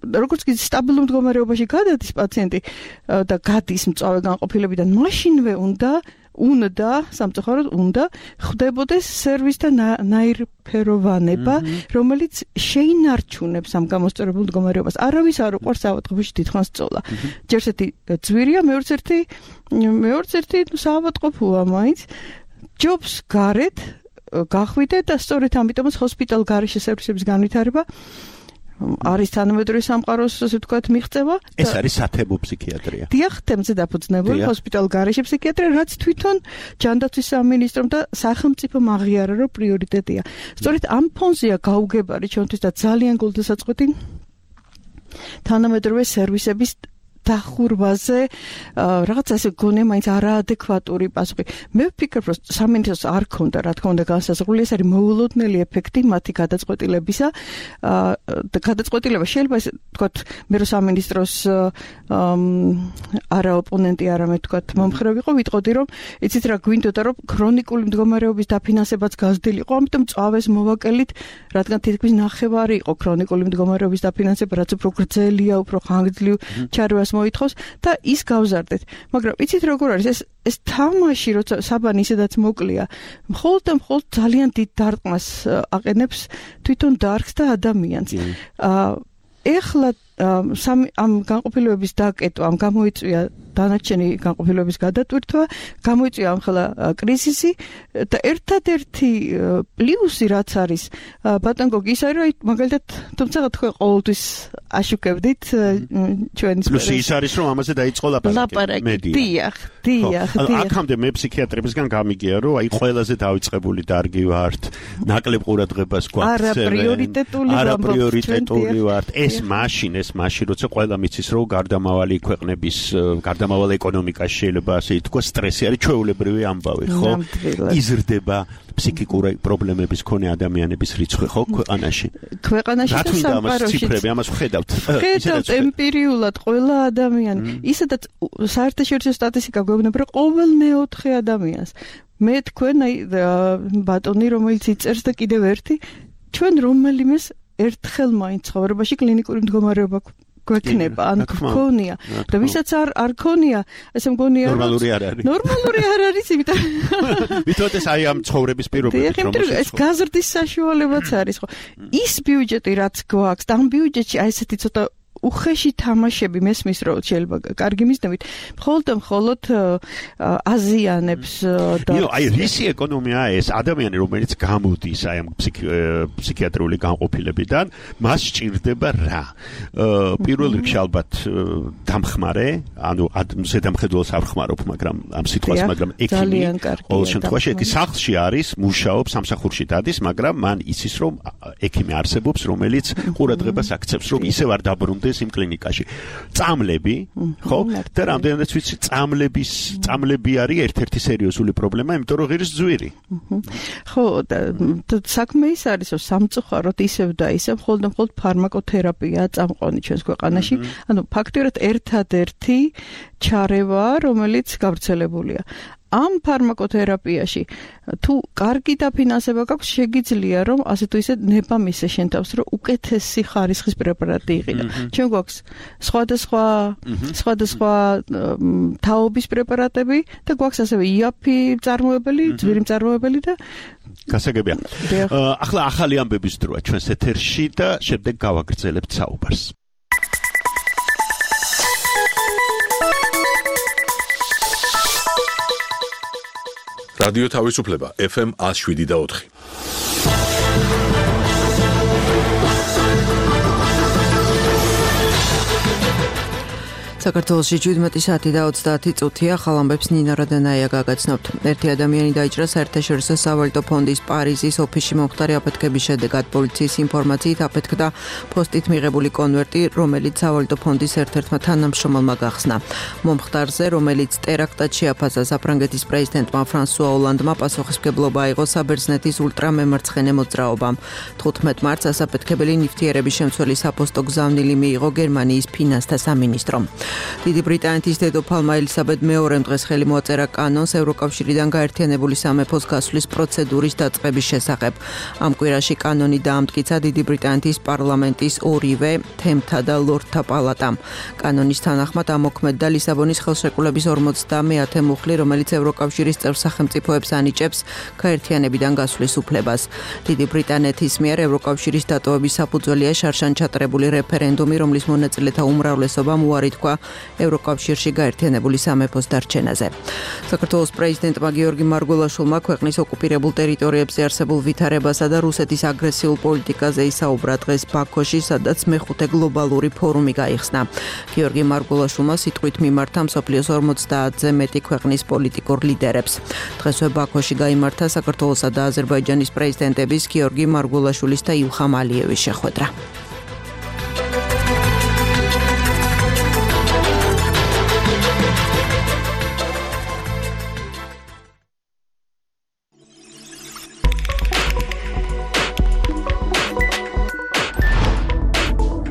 როგორც კი სტაბილურ მდგომარეობაში გადადის პაციენტი და გადის მწვავე განყოფილებიდან, მაშინვე უნდა უნდა სამწუხაროდ უნდა ხდებოდეს სერვისთა ნაირფეროვანება, რომელიც შეინარჩუნებს ამ გამოსწორებულ მდგომარეობას. არავის არ უყვარს საავადმყოფოში დიდხანს სწოვლა. ჯერ ერთი ძვირია, მეორეც ერთი მეორეც ერთი საავადმყოფოა მაინც. ჯობს გარეთ გახვიდე და სწორედ ამიტომაც ჰოსპიტალ გარეშე სერვისების განვითარება არის თანამედროვე სამყაროს, ასე ვთქვათ, მიღწევა. ეს არის სათემო ფსიქიატრია. დიახ, თემზე დაფუძნებული ჰოსპიტალ გარეშე ფსიქიატრია, რაც თვითონ ჯანდაცვის სამინისტრომ და სახელმწიფომ აღიარა, რომ პრიორიტეტია. სწორედ ამ ფონზეა გაუგებარი ჩვენთვის და ძალიან გულდასაწყვეტი თანამედროვე სერვისების დახურვაზე, რაღაც ასე გონია მაინც არაადეკვატური პასუხი. მე ვფიქრობ, რომ სამინისტროს არ ქონდა, რა თქმა უნდა, განსაზღვრული, ეს არის მოულოდნელი ეფექტი მათი გადაწყვეტილებისა. და გადაწყვეტილება შეიძლება ესე ვთქვათ, მე რომ სამინისტროს არა ოპონენტი, არამედ ვთქვათ, მომხრე ვიყო, ვიტყოდი, რომ იცით რა გვინდოდა, რომ ქრონიკული მდგომარეობის დაფინანსებაც გაზრდილიყო, ამიტომ წავეს მოვაკელით, რადგან თითქმის ნახევარი იყო ქრონიკული მდგომარეობის დაფინანსება, რაც უფრო გრძელია, უფრო ხანგრძლივ ჩარევას მოითხოვს და ის გავზარდეთ. მაგრამ იცით როგორ არის ეს ეს თამაში, როცა საბანი ისედაც მოკლია, მხოლოდ და მხოლოდ ძალიან დიდ დარტყმას აყენებს თვითონ დარგს და ადამიანს. ეხლა ამ განყოფილებების დაკეტვა, ამ გამოიწვია დანარჩენი განყოფილებების გადატვირთვა, გამოიწვია ახლა კრიზისი და ერთადერთი პლუსი რაც არის ბატონ გოგი ის არის, რომ მაგალითად თუმცა თქვენ ყოველთვის აშუქებდით ჩვენის პლუსი ის არის, რომ ამაზე დაიწყო ლაპარაკი მედია. დიახ, დიახ, დიახ. აქამდე მე ფსიქიატრებისგან გამიგია, რომ აი ყველაზე დაიწყებული დარგი ვართ, ნაკლებ ყურადღებას გვაქვს. არა პრიორიტეტული არა პრიორიტეტული ვართ. ეს მაშინ ეს მაშინ როცა ყველა მიცის, რომ გარდამავალი ქვეყნების გარდამავალ ეკონომიკაში შეიძლება ასე ითქვა, სტრესი არის ჩვეულებრივი ამბავი, ხო? იზრდება ფსიქიკური პრობლემების მქონე ადამიანების რიცხვი, ხო, ქვეყანაში? ქვეყანაში და სამყაროში. ციფრები ამას ვხედავთ. ვხედავთ ემპირიულად ყველა ადამიანი. ისედაც საერთაშორისო სტატისტიკა გვეუბნება, რომ ყოველ მეოთხე ადამიანს. მე თქვენ აი ბატონი, რომელიც იწერს და კიდევ ერთი, ჩვენ რომელიმეს ერთხელ მაინც ცხოვრებაში კლინიკური მდგომარეობა გვექნება, ან გქონია. და ვისაც არ არ ქონია, ესე მგონია ნორმალური არ არის. ნორმალური არ არის, იმიტომ ვითომ ეს აი ამ ცხოვრების პირობებით რომ ეს გაზრდის საშუალებაც არის, ხო? ის ბიუჯეტი რაც გვაქვს, და ამ ბიუჯეტში აი ესეთი ცოტა უხეში თამაშები მესმის რომ შეიძლება კარგი მიზნებით მხოლოდ მხოლოდ აზიანებს და ნუ აი რისი ეკონომია ეს ადამიანი რომელიც გამოდის აი ამ ფსიქიატრიული განყოფილებიდან მას სჭირდება რა პირველ რიგში ალბათ დამხმარე ანუ ზედამხედველს არ ხმარობ მაგრამ ამ სიტყვას მაგრამ ექიმი ყოველ შემთხვევაში ეს სახლში არის მუშაობს სამსახურში დადის მაგრამ მან იცის რომ ექიმი არსებობს რომელიც ყურადღებას აქცევს რომ ისევ არ დაბრუნდეს იმ კლინიკაში წამლები ხო და რამდენადაც ვიცი წამლების წამლები არის ერთ-ერთი სერიოზული პრობლემა იმიტომ რომ ღირს ძვირი ხო საქმე ის არის რომ სამწუხაროდ ისევ და ისევ მხოლოდ მხოლოდ ფარმაკოთერაპია წამყვანი ჩვენს ქვეყანაში ანუ ფაქტიურად ერთადერთი ჩარევა რომელიც გავრცელებულია ამ ფარმაკოთერაპიაში თუ კარგი დაფინანსება გაქვს შეგიძლია რომ ასე თუ ისე ნება მისე შენ თავს რომ უკეთესი ხარისხის პრეპარატი იყიდა ჩვენ გვაქვს სხვადასხვა სხვადასხვა თაობის პრეპარატები და გვაქვს ასევე იაფი მწარმოებელი ძვირი მწარმოებელი და გასაგებია ახლა ახალი ამბების დროა ჩვენს ეთერში და შემდეგ გავაგრძელებთ საუბარს რადიო თავისუფლება ეფ ემ one oh seven და four საქართველოში შვიდმეტი საათი და ოცდაათი წუთია ხალამბებს ნინა რადანაია გაგაცნობთ. ერთი ადამიანი დაიჭრა საერთაშორისო სავალუტო ფონდის პარიზის ოფისში მომხდარი აფეთქების შედეგად პოლიციის ინფორმაციით აფეთქდა პოსტით მიღებული კონვერტი, რომელიც სავალუტო ფონდის ერთ-ერთმა თანამშრომელმა გახსნა. მომხდარზე, რომელიც ტერაქტად შეაფასა საფრანგეთის პრეზიდენტმა ფრანსუა ოლანდმა პასუხისმგებლობა აიღო საბერძნეთის ულტრამემარცხენე მოძრაობამ. თხუთმეტ მარტს ასაფეთქებელი ნივთიერების შემცველი საფოსტო გზავნილი მიიღო გერმანიის ფინანსთა სამინისტრომ. დიდი ბრიტანეთის დედოფალმა ელისაბედ მეორემ დღეს ხელი მოაწერა კანონს ევროკავშირიდან გაერთიანებული სამეფოს გასვლის პროცედურის დაწყების შესახებ. ამ კვირაში კანონი დაამტკიცა დიდი ბრიტანეთის პარლამენტის ორივე თემთა და ლორდთა პალატამ. კანონის თანახმად ამოქმედდა ლისაბონის ხელშეკრულების ორმოცდამეათე მუხლი, რომელიც ევროკავშირის წევრ სახელმწიფოებს ანიჭებს გაერთიანებიდან გასვლის უფლებას. დიდი ბრიტანეთის მიერ ევროკავშირის დატოვების საფუძველია შარშან ჩატარებული რეფერენდუმი, რომლის მონაწილეთა უმრავლესობამ უარი თქვა ევროკავშირში გაერთიანებული სამეფოს დარჩენაზე. საქართველოს პრეზიდენტმა გიორგი მარგველაშვილმა ქვეყნის ოკუპირებულ ტერიტორიებზე არსებულ ვითარებასა და რუსეთის აგრესიულ პოლიტიკაზე ისაუბრა დღეს ბაქოში, სადაც მეხუთე გლობალური ფორუმი გაიხსნა. გიორგი მარგველაშვილმა სიტყვით მიმართა მსოფლიოს ორმოცდაათზე მეტი ქვეყნის პოლიტიკურ ლიდერებს. დღესვე ბაქოში გაიმართა საქართველოსა და აზერბაიჯანის პრეზიდენტების გიორგი მარგველაშვილის და ილხამ ალიევის შეხვედრა.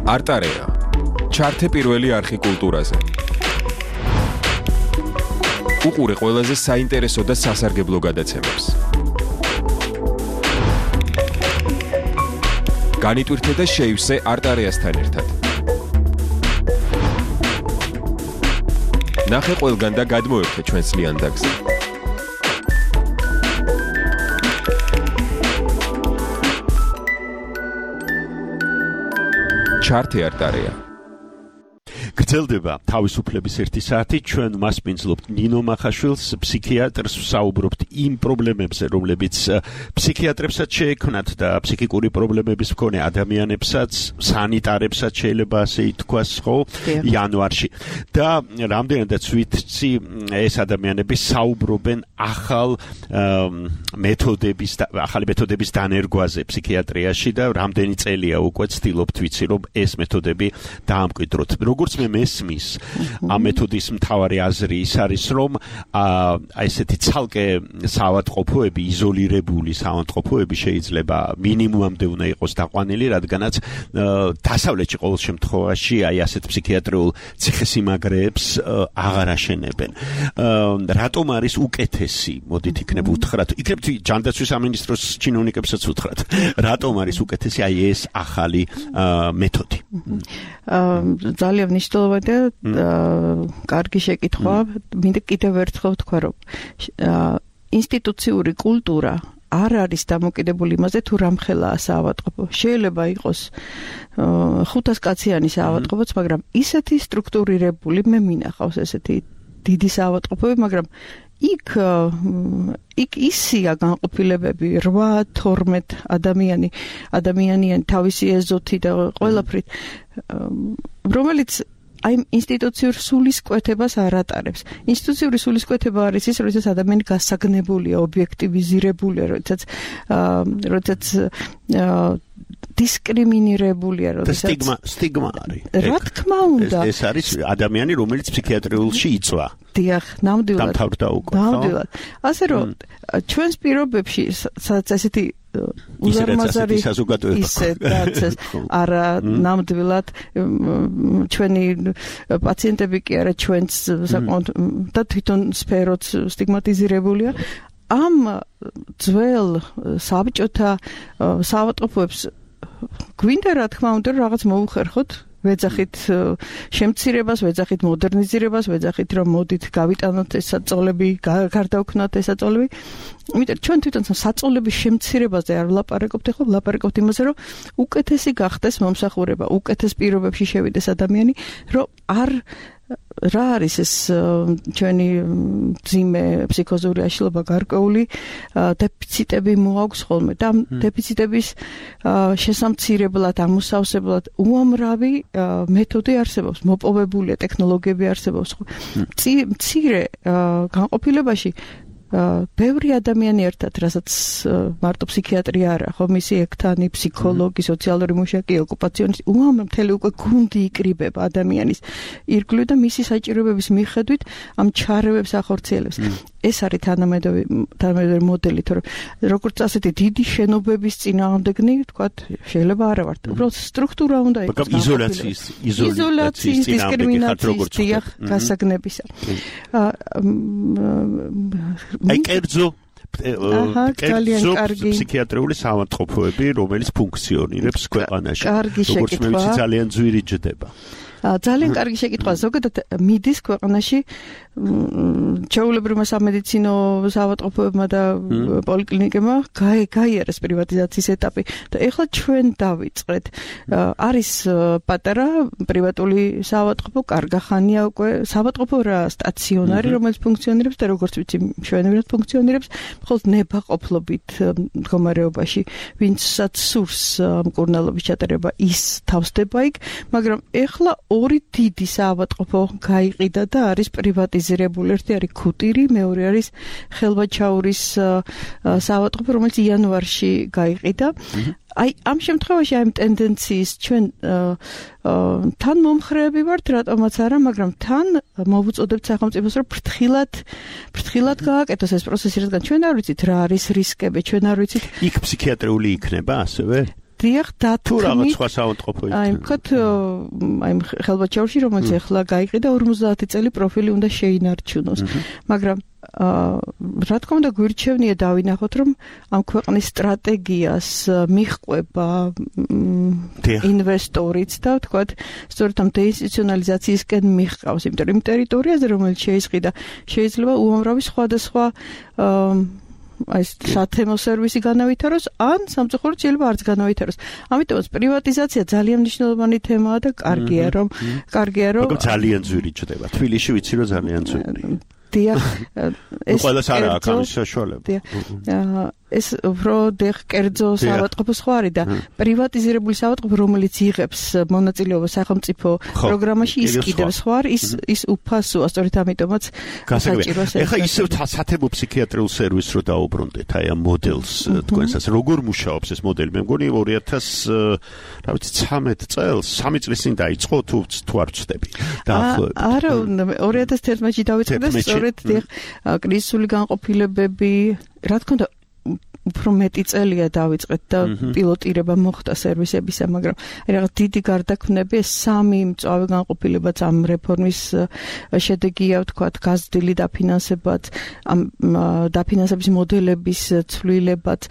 არტარეა ჩართე პირველი არხი კულტურაზე. უყურე ყველაზე საინტერესო და სასარგებლო გადაცემებს. განიტვირთე და შეივსე არტარეასთან ერთად. ნახე ყველგან და გადმოერთე ჩვენს ლიანდაგზე. ჩართე არტარეა. გრძელდება თავისუფლების ერთი საათი, ჩვენ მასპინძლობთ ნინო მახაშვილს, ფსიქიატრს, ვსაუბრობთ იმ პრობლემებზე, რომლებიც ფსიქიატრებსაც შეექმნათ და ფსიქიკური პრობლემების მქონე ადამიანებსაც, სანიტარებსაც შეიძლება ასე ითქვას, ხო, იანვარში. და რამდენადაც ვიცი, ეს ადამიანები საუბრობენ ახალ მეთოდების, ახალი მეთოდების დანერგვაზე ფსიქიატრიაში და რამდენი წელია უკვე ცდილობთ ვიცი, რომ ეს მეთოდები დაამკვიდროთ. როგორც მე მესმის ამ მეთოდის მთავარი აზრი ის არის რომ აი ესეთი ცალკე საავადმყოფოები იზოლირებული საავადმყოფოები შეიძლება მინიმუმამდე უნდა იყოს დაყვანილი რადგანაც დასავლეთში ყოველ შემთხვევაში აი ასეთ ფსიქიატრიულ ციხესიმაგრეებს აღარ აშენებენ რატომ არის უკეთესი მოდით იქნებ უთხრათ იქნებ ჯანდაცვის სამინისტროს ჩინოვნიკებსაც უთხრათ რატომ არის უკეთესი აი ეს ახალი მეთოდი ძალიან მნიშვნელოვანია კარგი შეკითხვა მინდა კიდევ ერთხელ ვთქვა რომ ინსტიტუციური კულტურა არ არის დამოკიდებული იმაზე თუ რამხელაა საავადმყოფო. შეიძლება იყოს ხუთას კაციანი საავადმყოფოც, მაგრამ ისეთი სტრუქტურირებული მე მინახავს ესეთი დიდი საავადმყოფოები, მაგრამ იქ იქ ისია განყოფილებები რვა თორმეტ ადამიანი ადამიანიანი თავისი ეზოთი და ყველაფრით, რომელიც აი ინსტიტუციურ სულისკვეთებას არ ატარებს. ინსტიტუციური სულისკვეთება არის ის, როდესაც ადამიანი გასაგნებულია, ობიექტივიზირებულია, როდესაც როდესაც დისკრიმინირებულია, როდესაც სტიგმა სტიგმა არის. რა თქმა უნდა. ეს არის ადამიანი, რომელიც ფსიქიატრიულში იწვა. დიახ, ნამდვილად. დამთავრდა უკვე. ნამდვილად. ასე რომ ჩვენს პირობებში სადაც ესეთი უზარმაზარი ისე დაცეს არა ნამდვილად ჩვენი პაციენტები კი არა ჩვენც საკმაოდ და თვითონ სფეროც სტიგმატიზირებულია ამ ძველ საბჭოთა საავადმყოფოებს გვინდა რა თქმა უნდა რაღაც მოუხერხოთ ვეძახით შემცირებას, ვეძახით მოდერნიზირებას, ვეძახით რომ მოდით გავიტანოთ ეს საწოლები, გარდავქნათ ეს საწოლები. იმიტომ ჩვენ თვითონ საწოლების შემცირებაზე არ ვლაპარაკობთ, ხო, ვლაპარაკობთ იმაზე, რომ უკეთესი გახდეს მომსახურება, უკეთეს პირობებში შევიდეს ადამიანი, რომ არ რა არის ეს ჩვენი ძიმე ფსიქოზური აშლილობა გარკვეული დეფიციტები მოაქვს ხოლმე და ამ დეფიციტების შესამცირებლად, ამოსავსებლად უამრავი მეთოდი არსებობს, მოპოვებულია ტექნოლოგიები არსებობს. მცირე განყოფილებაში ბევრი ადამიანი ერთად, რასაც მარტო ფსიქიატრი არა, ხო, მისი ექთანი, ფსიქოლოგი, სოციალური მუშაკი, ოკუპაციონისტი, უამრავ მთელი უკვე გუნდი იკრიბება ადამიანის ირგვლივ და მისი საჭიროებების მიხედვით ამ ჩარევებს ახორციელებს. ეს არის თანამედროვე თანამედროვე მოდელი, თორემ როგორც ასეთი დიდი შენობების წინააღმდეგნი, ვთქვათ, შეიძლება არა ვართ. უბრალოდ სტრუქტურა უნდა იყოს. იზოლაციის, იზოლაციის დისკრიმინაციის, გასაგნებისა. აი კერძო კერძო ფსიქიატრიული საავადმყოფოები, რომელიც ფუნქციონირებს ქვეყანაში. როგორც მე ვიცი, ძალიან ძვირი ჯდება. ძალიან კარგი შეკითხვა. ზოგადად მიდის ქვეყანაში ჩვეულებრივმა სამედიცინო საავადმყოფოებმა და პოლიკლინიკებმა გაიარეს პრივატიზაციის ეტაპი და ეხლა ჩვენ დავიწყეთ. არის პატარა პრივატული საავადმყოფო, კარგახანია უკვე საავადმყოფო რა სტაციონარი, რომელიც ფუნქციონირებს და როგორც ვიცი, მშვენივრად ფუნქციონირებს, მხოლოდ ნებაყოფლობით მდგომარეობაში, ვინცაც სურს მკურნალობის ჩატარება, ის თავსდება იქ, მაგრამ ეხლა ორი დიდი საავადმყოფო გაიყიდა და არის პრივატიზირებული. ერთი არის ქუტირი, მეორე არის ხელვაჩაურის საავადმყოფო, რომელიც იანვარში გაიყიდა. აი ამ შემთხვევაში ამ ტენდენციის ჩვენ თან მომხრეები ვართ, რატომაც არა, მაგრამ თან მოვუწოდებთ სახელმწიფოს, რომ ფრთხილად ფრთხილად გააკეთოს ეს პროცესი, რადგან ჩვენ არ ვიცით რა არის რისკები, ჩვენ არ ვიცით. იქ ფსიქიატრიული იქნება ასევე? დიახ, თუ რაღაც სხვა საავადმყოფო იქნება. აი, ვთქვათ, აი ხელვაჩაურში, რომელიც ახლა გაიყიდა, ორმოცდაათი წელი პროფილი უნდა შეინარჩუნოს. მაგრამ რა თქმა უნდა გვირჩევნია დავინახოთ, რომ ამ ქვეყნის სტრატეგიას მიჰყვება ინვესტორიც და ვთქვათ, სწორედ ამ დეინსტიტუციონალიზაციისკენ მიჰყავს, იმიტომ რომ ტერიტორიაზე, რომელიც შეიზღიდა, შეიძლება უამრავი სხვადასხვა აი სათემო სერვისი განავითაროს, ან სამწუხაროდ შეიძლება არც განავითაროს. ამიტომაც პრივატიზაცია ძალიან მნიშვნელოვანი თემაა და კარგია რომ კარგია რომ მაგრამ ძალიან ძვირი ჩდება. თბილისში ვიცი რომ ძალიან ძვირი. დიახ, ეს ყველას არა აქვს ამის საშუალება. ეს უფრო დეხ კერძო საავადმყოფო სხვა არის და პრივატიზირებული საავადმყოფო, რომელიც იღებს მონაწილეობას სახელმწიფო პროგრამაში, ის კიდევ სხვა არის, ის ის უფასოა, სწორედ ამიტომაც საჭიროა. ეხლა ისევ სათემო ფსიქიატრიულ სერვისს რო დაუბრუნდეთ, აი ამ მოდელს თქვენსაც როგორ მუშაობს ეს მოდელი? მე მგონი ორი ათას რა ვიცი ცამეტ წელს, სამი წლის წინ დაიწყო თუ თუ არ ვცდები. დაახლოებით. არა, ორი ათას თერთმეტში დაიწყო და სწორედ კრიზისული განყოფილებები, რა თქმა უნდა უფრო მეტი წელია დავიწყეთ და პილოტირება მოხდა სერვისებისა, მაგრამ აი რაღაც დიდი გარდაქმნები, სამი მწვავე განყოფილებაც ამ რეფორმის შედეგია, ვთქვათ, გაზრდილი დაფინანსებაც, ამ დაფინანსების მოდელების ცვლილებაც,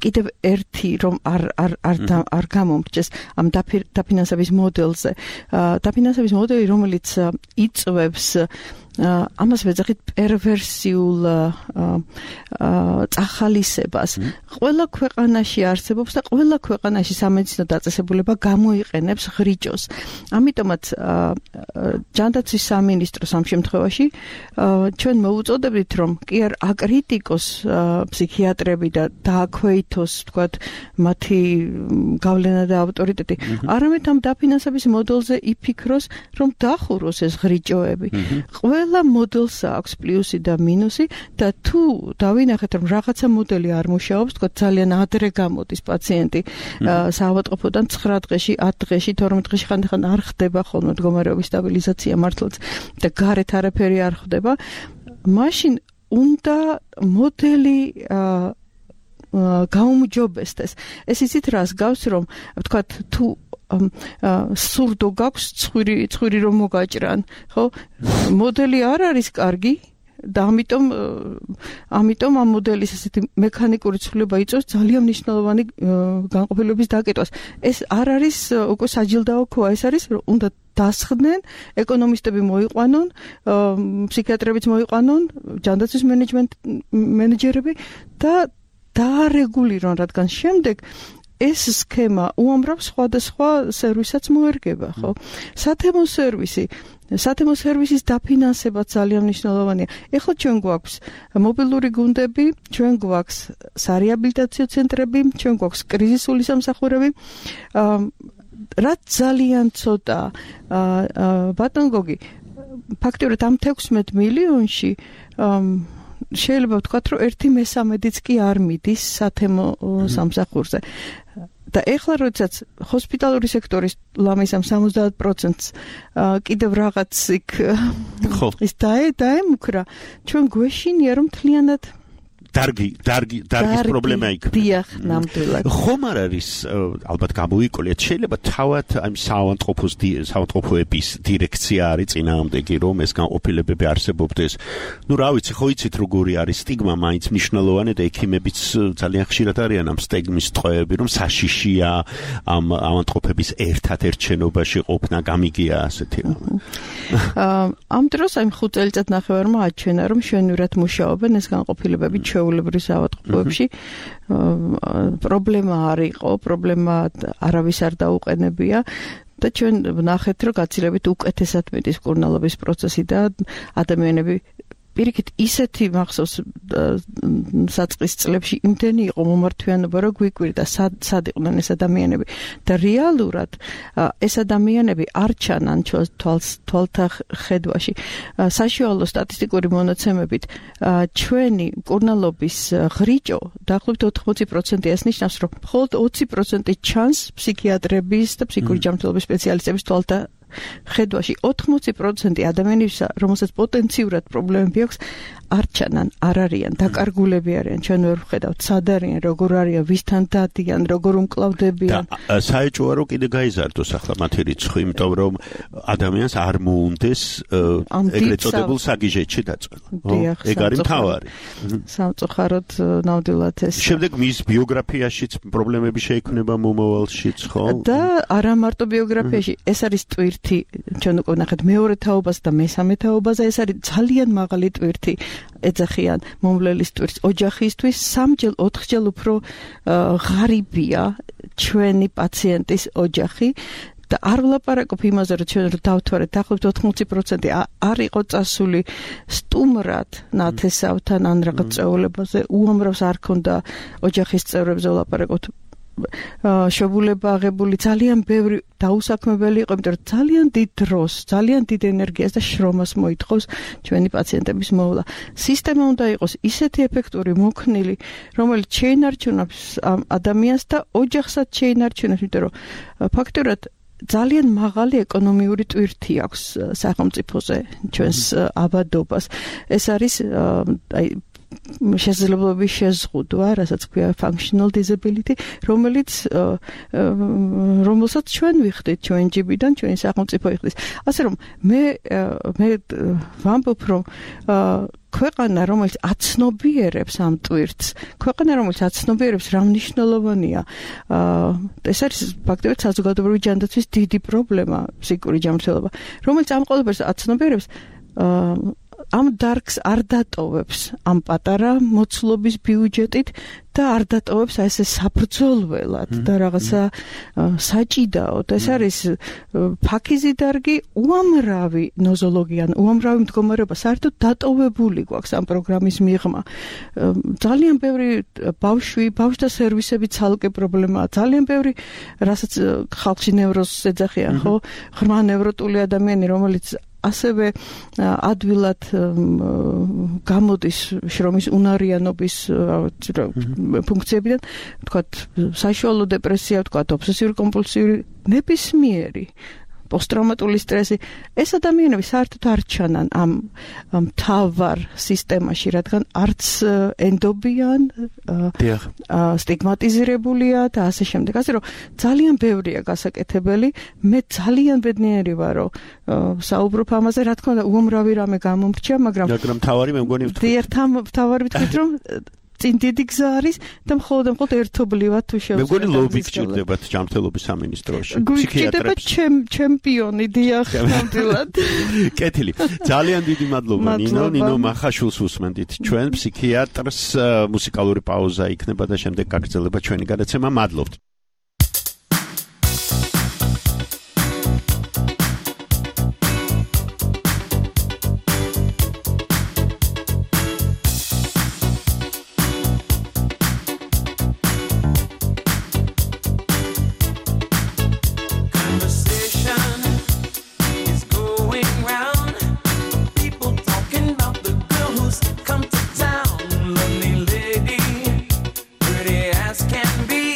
კიდევ ერთი რომ არ არ არ არ გამომრჩეს ამ დაფინანსების მოდელზე. დაფინანსების მოდელი, რომელიც იწვევს ამას ვეძახით პერვერსიულ წახალისებას. ყველა ქვეყანაში არსებობს და ყველა ქვეყანაში სამედიცინო დაწესებულება გამოიყენებს ღრიჭოს. ამიტომაც ჯანდაცვის სამინისტროს ამ შემთხვევაში ჩვენ მოუწოდებთ, რომ კი არ აკრიტიკოს ფსიქიატრები და დააქვეითოს, თქვათ, მათი გავლენა და ავტორიტეტი, არამედ ამ დაფინანსების მოდელზე იფიქროს, რომ დახუროს ეს ღრიჭოები. ყველა მოდელს აქვს პლუსი და მინუსი და თუ დავინახეთ, რომ რაღაცა მოდელი არ მუშაობს, თქვათ, ძალიან ადრე გამოდის პაციენტი საავადმყოფოდან ცხრა დღეში, ათ დღეში, თორმეტ დღეში ხანდახან არ ხდება ხოლმე მდგომარეობის სტაბილიზაცია მართლაც და გარეთ არაფერი არ ხდება, მაშინ უნდა მოდელი გაუმჯობესდეს. ეს იცით რას გავს, რომ ვთქვათ, თუ სურდო გაქვს ცხვირი ცხვირი რომ მოგაჭრან, ხო? მოდელი არ არის კარგი და ამიტომ ამიტომ ამ მოდელის ესეთი მექანიკური ცვლილება იწვევს ძალიან მნიშვნელოვანი განყოფილების დაკეტვას. ეს არ არის უკვე საჯილდაო ქოა, ეს არის უნდა დასხდნენ, ეკონომისტები მოიყვანონ, ფსიქიატრებიც მოიყვანონ, ჯანდაცვის მენეჯერები და დაარეგულირონ, რადგან შემდეგ ეს სქემა უამრავ სხვადასხვა სერვისაც მოერგება, ხო? სათემო სერვისი, სათემო სერვისის დაფინანსება ძალიან მნიშვნელოვანია. ეხლა ჩვენ გვაქვს მობილური გუნდები, ჩვენ გვაქვს სარეაბილიტაციო ცენტრები, ჩვენ გვაქვს კრიზისული სამსახურები. რაც ძალიან ცოტა ბატონ გოგი, ფაქტიურად ამ თექვსმეტ მილიონში შეიძლება ვთქვათ, რომ ერთი მესამედიც კი არ მიდის სათემო სამსახურზე. და ეხლა როდესაც ჰოსპიტალური სექტორის ლამის ამ სამოცდაათ პროცენტს კიდევ რაღაც იქ ის დაემუქრა, ჩვენ გვეშინია, რომ მთლიანად დარგი დარგი დარგის პრობლემა იქნება. დიახ, ნამდვილად. ხომ არ არის ალბათ გამოიკოლიათ, შეიძლება თავად ამ საავადმყოფოს საავადმყოფოების დირექცია არის წინააღმდეგი, რომ ეს განყოფილებები არსებობდეს. ნუ რა ვიცი, ხო იცით როგორი არის სტიგმა, მაინც მნიშვნელოვანი და ექიმებიც ძალიან ხშირად არიან ამ სტიგმის ტყვეები, რომ საშიშია ამ ავადმყოფების ერთად-ერთ შენობაში ყოფნა, გამიგია ასეთი რამე. ამ დროს აი ხუთ წელიწად ნახევარმა აჩვენა, რომ შვენივრად მუშაობენ ეს განყოფილებები ჩვეულებრივ ავადმყოფოებში. პრობლემა არ იყო, პრობლემა არავის არ დაუყენებია და ჩვენ ვნახეთ, რომ გაცილებით უკეთესად მიდის მკურნალობის პროცესი და ადამიანები პირიქით ისეთი მახსოვს საწყის წლებში იმდენი იყო მომართვიანობა, რომ გვიკვირდა სად იყვნენ ეს ადამიანები და რეალურად ეს ადამიანები არ ჩანან თვალთა ხედვაში. საშუალო სტატისტიკური მონაცემებით ჩვენი მკურნალობის ღრიჭო დაახლოებით ოთხმოცი პროცენტი ეს ნიშნავს, რომ მხოლოდ ოცი პროცენტი ჩანს ფსიქიატრების და ფსიქიკური ჯანმრთელობის სპეციალისტების თვალთა ხედვაში. ოთხმოცი პროცენტი ადამიანებისა, რომელსაც პოტენციურად პრობლემები აქვს, არ ჩანან, არ არიან, დაკარგულები არიან, ჩვენ ვერ ვხედავთ, სად არიან, როგორ არიან, ვისთან დადიან, როგორ უმკლავდებიან. და საეჭვოა რომ კიდე გაიზარდოს ახლა მათი რიცხვი, იმიტომ რომ ადამიანს არ მოუნდეს ეგრეთ წოდებულ საგიჟეთში დაწვენა. ეგ არის მთავარი. სამწუხაროდ ნამდვილად ეს. შემდეგ მის ბიოგრაფიაშიც პრობლემები შეექმნება მომავალშიც, ხო? და არა მარტო ბიოგრაფიაში, ეს არის ტვირთი, ჩვენ უკვე ნახეთ მეორე თაობას და მესამე თაობაზე, ეს არის ძალიან მაღალი ტვირთი. ეძახიან მომვლელის ტვირთს ოჯახისთვის სამჯერ ოთხჯერ უფრო ღარიბია ჩვენი პაციენტის ოჯახი და არ ვლაპარაკობ იმაზე, რომ ჩვენ დავთვალეთ დაახლოებით ოთხმოცი პროცენტი არ იყო წასული სტუმრად ნათესავთან ან რაღაც წვეულებაზე, უამრავს არ ქონდა ოჯახის წევრებზე ვლაპარაკობთ. შობულება აღებული ძალიან ბევრი დაუსაქმებელი იყო, იმიტომ რომ ძალიან დიდ დროს, ძალიან დიდ ენერგიას და შრომას მოითხოვს ჩვენი პაციენტების მოვლა. სისტემა უნდა იყოს ისეთი ეფექტური, მოქნილი, რომელიც შეინარჩუნებს ადამიანს და ოჯახსაც შეინარჩუნებს, იმიტომ რომ ფაქტურად ძალიან მაღალი ეკონომიური ტვირთი აქვს სახელმწიფოზე ჩვენს ავადობას. ეს არის აი შესაძლებლობის შეზღუდვა, რასაც ქვია functional disability, რომელიც რომელსაც ჩვენ ვიხდით ჩვენ ჯიბიდან, ჩვენი სახელმწიფო იხდის. ასე რომ მე მე ვამბობ, რომ ქვეყანა, რომელიც აცნობიერებს ამ ტვირთს, ქვეყანა, რომელიც აცნობიერებს რა მნიშვნელოვანია. ეს არის ფაქტობრივად საზოგადოებრივი ჯანდაცვის დიდი პრობლემა, ფსიქიკური ჯანმრთელობა, რომელიც ამ ყველაფერს აცნობიერებს. ამ დარგს არ დატოვებს ამ პატარა მოცულობის ბიუჯეტით და არ დატოვებს აი ესე საბრძოლველად და რაღაცა საჭიდაოდ. ეს არის ფაქიზი დარგი უამრავი ნოზოლოგიან, უამრავი მდგომარეობა საერთოდ დატოვებული გვაქვს ამ პროგრამის მიღმა. ძალიან ბევრი ბავშვი, ბავშვთა სერვისები ცალკე პრობლემაა. ძალიან ბევრი, რასაც ხალხში ნევროზს ეძახიან, ხო? ღრმა ნევროტული ადამიანი, რომელიც ასევე ადვილად გამოდის შრომის უნარიანობის ფუნქციებიდან, თქვათ, საშუალო დეპრესია, თქვათ, ობსესიური კომპულსიური ნებისმიერი პოსტტრაუმატული სტრესი, ეს ადამიანები საერთოდ არ ჩანან ამ მთავარ სისტემაში, რადგან არც ენდობიან, სტიგმატიზირებულია და ასე შემდეგ. ასე რომ ძალიან ბევრია გასაკეთებელი. მე ძალიან ბედნიერი ვარ, რომ საუბრობ ამაზე, რა თქმა უნდა, უამრავი რამე გამომრჩა, მაგრამ მაგრამ თავარი მე მგონი ვთქვი. ერთამ თავარი ვთქვით, რომ წინ დიდი გზა არის და მხოლოდ და მხოლოდ ერთობლივად თუ შევსწავლეთ. მე მგონი ლობი გჭირდებათ ჯანმრთელობის სამინისტროში, ფსიქიატრებს. ჩემპიონი დიახ, ნამდვილად. კეთილი. ძალიან დიდი მადლობა ნინო, ნინო მახაშვილს უსმენდით. ჩვენ ფსიქიატრს მუსიკალური პაუზა იქნება და შემდეგ გაგრძელება ჩვენი გადაცემა. მადლობთ. Can be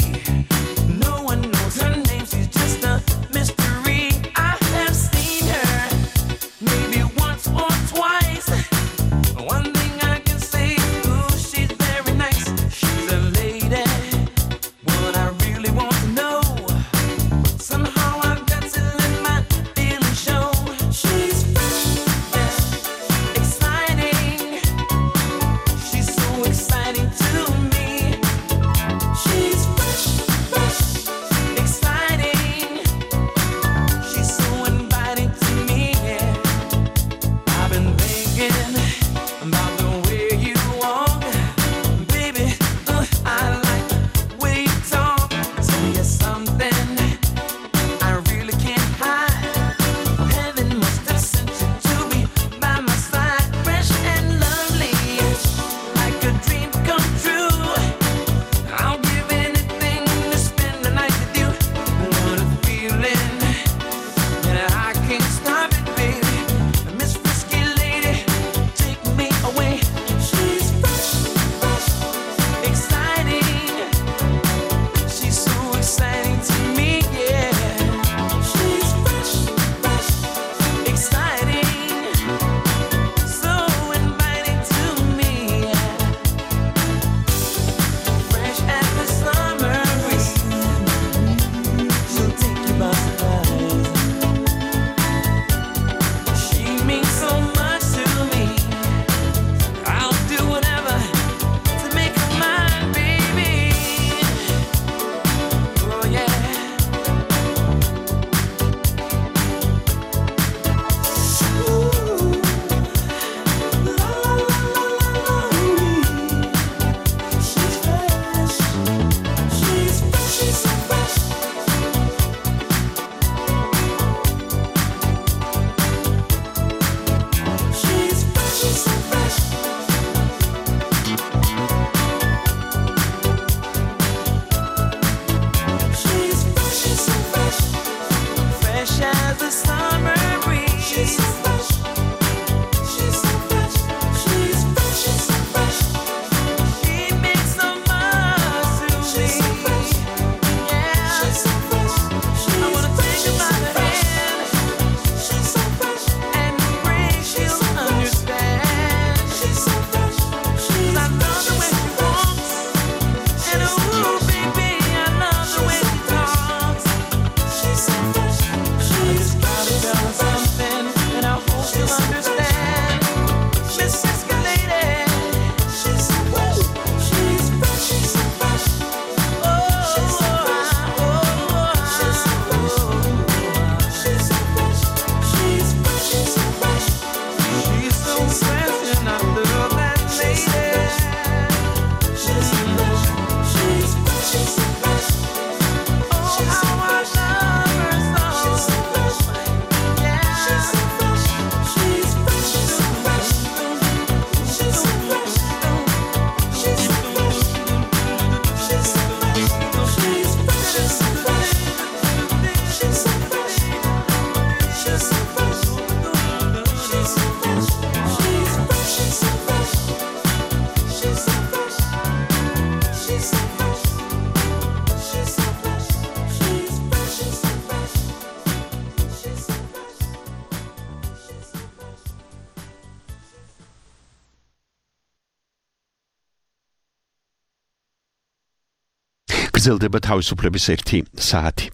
გრძელდება თავისუფლების ერთი საათი.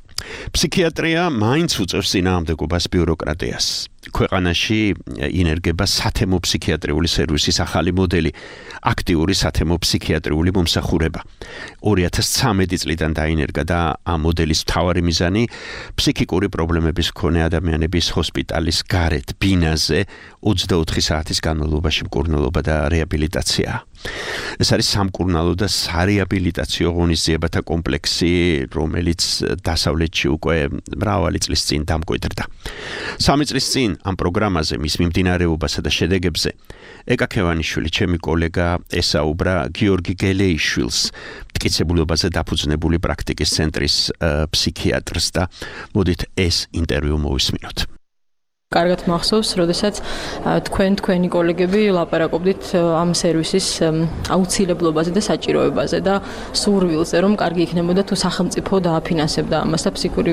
ფსიქიატრია მაინც უწევს წინააღმდეგობას ბიუროკრატიას. ქვეყანაში ინერგება სათემო ფსიქიატრიული სერვისის ახალი მოდელი, აქტიური სათემო ფსიქიატრიული მომსახურება. ორი ათას ცხრამეტი წლიდან დაინერგა და ამ მოდელის მთავარი მიზანი ფსიქიკური პრობლემების მქონე ადამიანების ჰოსპიტალის გარეთ ბინაზე ოცდაოთხი საათის განმავლობაში მკურნალობა და რეაბილიტაცია. ეს არის სამკურნალო და სარეაბილიტაციო ღონისძიებათა კომპლექსი, რომელიც დასავლეთში უკვე მრავალი წლის წინ დამკვიდრდა. სამი წლის წინ ამ პროგრამაზე მის მიმდინარეობასა და შედეგებზე ეკა ქევანიშვილი, ჩემი კოლეგა, ესაუბრა გიორგი გელეიშვილს, მტკიცებულებაზე დაფუძნებული პრაქტიკის ცენტრის ფსიქიატრს და მოდით ეს ინტერვიუ მოვისმინოთ. კარგად მახსოვს, როდესაც თქვენ თქვენი კოლეგები ლაპარაკობდით ამ სერვისის აუცილებლობაზე და საჭიროებაზე და სურვილზე, რომ კარგი იქნებოდა თუ სახელმწიფო დააფინანსებდა ამას და ფსიქიკური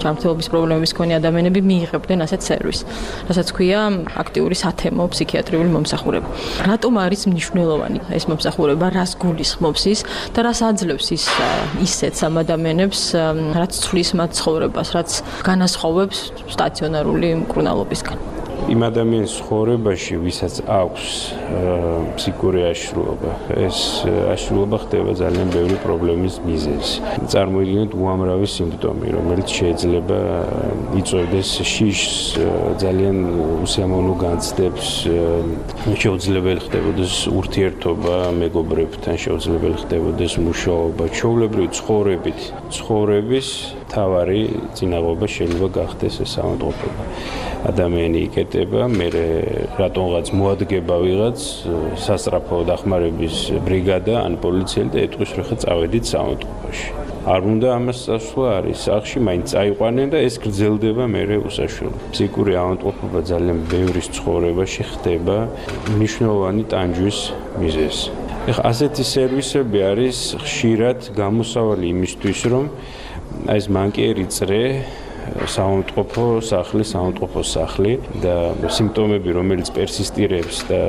ჯანმრთელობის პრობლემების მქონე ადამიანები მიიღებდნენ ასეთ სერვისს, რასაც ქვია აქტიური სათემო ფსიქიატრიული მომსახურება. რატომ არის მნიშვნელოვანი ეს მომსახურება, რას გულისხმობს ის და რას აძლევს ის ისეთ ამ ადამიანებს, რაც ცვლის მათ ცხოვრებას, რაც განასხვავებს სტაციონარული მკურნალობისგან. იმ ადამიანის ცხოვრებაში, ვისაც აქვს ფსიქიკური აშლილობა, ეს აშლილობა ხდება ძალიან ბევრი პრობლემის მიზეზი. წარმოიდგინეთ უამრავი სიმპტომი, რომელიც შეიძლება იწვევდეს შიშს, ძალიან უსიამოვნო განცდებს, შეუძლებელი ხდებოდეს ურთიერთობა მეგობრებთან, შეუძლებელი ხდებოდეს მუშაობა, ჩვეულებრივი ცხოვრებით, ცხოვრების თავარი წინაღობა შეიძლება გახდეს ეს ავადმყოფობა. ადამიანი იკეტება, მე რატომღაც მოადგება ვიღაც სასწრაფო დახმარების ბრიგადა ან პოლიციელი და ეტყვის რომ ხა წავედით სამავადმყოფოში. არ უნდა ამას წასვლა არის სახში, მაინც წაიყვანენ და ეს გრძელდება მერე უსაშველო. ფსიქიკური ავადმყოფობა ძალიან ბევრის ცხოვრებაში ხდება მნიშვნელოვანი ტანჯვის მიზეზი. ეხლა ასეთი სერვისები არის ხშირად გამოსავალი იმისთვის, რომ აი ეს მანკიერი წრე სამავადმყოფო სახლი, სამავადმყოფო სახლი და სიმპტომები, რომელიც პერსისტირებს და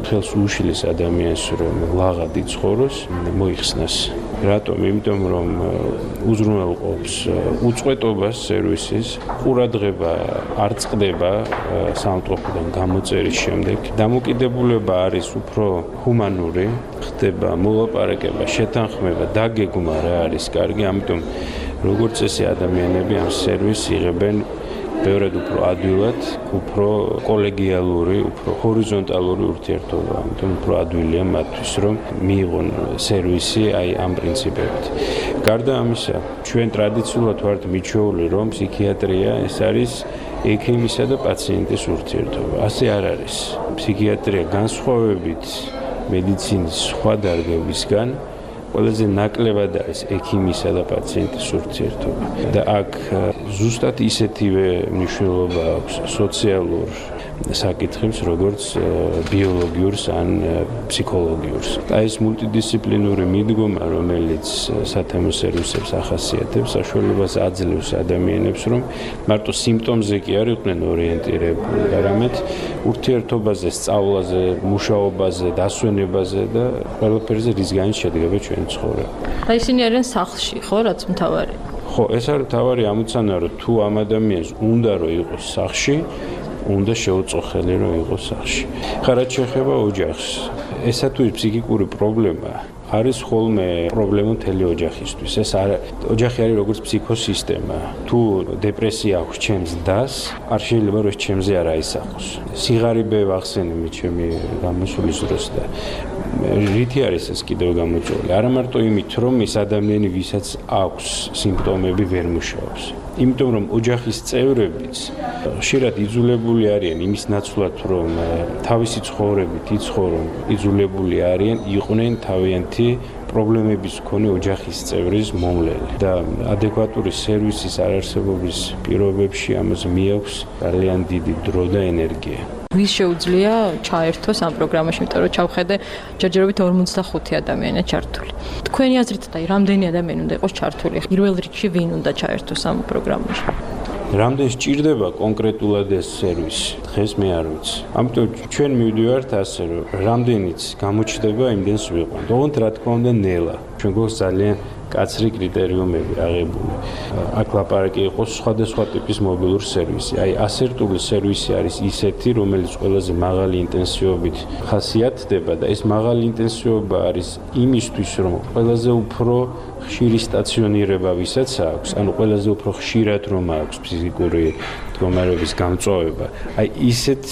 ხელს უშლის ადამიანს, რომ ლაღად იცხოვროს, მოიხსნას. რატომ? იმიტომ, რომ უზრუნველყოფს უწყვეტობას სერვისის, ყურადღება არ წყდება სამავადმყოფოდან გამოწერის შემდეგ. დამოკიდებულება არის უფრო ჰუმანური, ხდება მოლაპარაკება, შეთანხმება, დაგეგმა რა არის კარგი, ამიტომ როგორც წესი ადამიანები ამ სერვისს იღებენ ბევრად უფრო ადვილად, უფრო კოლეგიალური, უფრო ჰორიზონტალური ურთიერთობა, ამიტომ უფრო ადვილია მათთვის, რომ მიიღონ სერვისი აი ამ პრინციპებით. გარდა ამისა, ჩვენ ტრადიციულად ვართ მიჩვეული, რომ ფსიქიატრია ეს არის ექიმისა და პაციენტის ურთიერთობა. ასე არ არის. ფსიქიატრია განსხვავებით მედიცინის სხვა დარგებისგან ყველაზე ნაკლებად არის ექიმისა და პაციენტის ურთიერთობა და აქ ზუსტად ისეთივე მნიშვნელობა აქვს სოციალურ საკითხებს, როგორც ბიოლოგიურს ან ფსიქოლოგიურს. და ეს მულტიდისციპლინური მიდგომა, რომელიც სათემო სერვისებს ახასიათებს, საშუალებას აძლევს ადამიანებს, რომ მარტო სიმპტომზე კი არ იყვნენ ორიენტირებული, არამედ ურთიერთობაზე, სწავლაზე, მუშაობაზე, დასვენებაზე და ყველაფერზე, რის განიც შედგება ჩვენი ცხოვრება. და ისინი არიან სახლში, ხო, რაც მთავარი? ხო, ეს არის მთავარი ამოცანა, რომ თუ ამ ადამიანს უნდა რომ იყოს სახლში, უნდა შეუწოხელი რომ იყოს სახლში. ხა რაც შეეხება ოჯახს, ესა თუ ფსიქიკური პრობლემა არის ხოლმე პრობლემა მთელი ოჯახისთვის. ეს არ ოჯახი არის როგორც ფსიქოსისტემა. თუ დეპრესია აქვს ჩემს დას, არ შეიძლება რომ ჩემზე არ აისახოს. სიღარიბე ვახსენე მე ჩემი გამოსulis დროს და რითი არის ეს კიდევ გამოწვეული? არა მარტო იმით, რომ ეს ადამიანი, ვისაც აქვს სიმპტომები, ვერ მუშაობს. იმიტომ რომ ოჯახის წევრებიც ხშირად იძულებული არიან იმის ნაცვლად, რომ თავისი ცხოვრებით იცხოვრონ, იძულებული არიან იყვნენ თავიანთი პრობლემების მქონე ოჯახის წევრის მომვლელი და ადეკვატური სერვისის არარსებობის პირობებში ამას მიაქვს ძალიან დიდი დრო და ენერგია. ვის შეუძლია ჩაერთოს ამ პროგრამაში, იმიტომ რომ ჩავხედე ჯერჯერობით ორმოცდახუთი ადამიანია ჩართული. თქვენი აზრით და რამდენი ადამიანი უნდა იყოს ჩართული? პირველ რიგში ვინ უნდა ჩაერთოს ამ პროგრამაში? რამდენი სჭირდება კონკრეტულად ეს სერვისი? დღეს მე არ ვიცი. ამიტომ ჩვენ მივდივართ ასე, რომ რამდენიც გამოჩნდება, იმდენს ვიყვანთ. ოღონდ რა თქმა უნდა ნელა. ჩვენ გვაქვს ძალიან კაცრი კრიტერიუმები აღებული. აქ ლაპარაკი იყოს სხვადასხვა ტიპის მობილურ სერვისი. აი ასერტული სერვისი არის ისეთი, რომელიც ყველაზე მაღალი ინტენსივობით ხასიათდება და ეს მაღალი ინტენსივობა არის იმისთვის, რომ ყველაზე უფრო ხშირი სტაციონირება ვისაც აქვს, ანუ ყველაზე უფრო ხშირად რომ აქვს ფიზიკური მდგომარეობის გამწვავება, აი ისეთ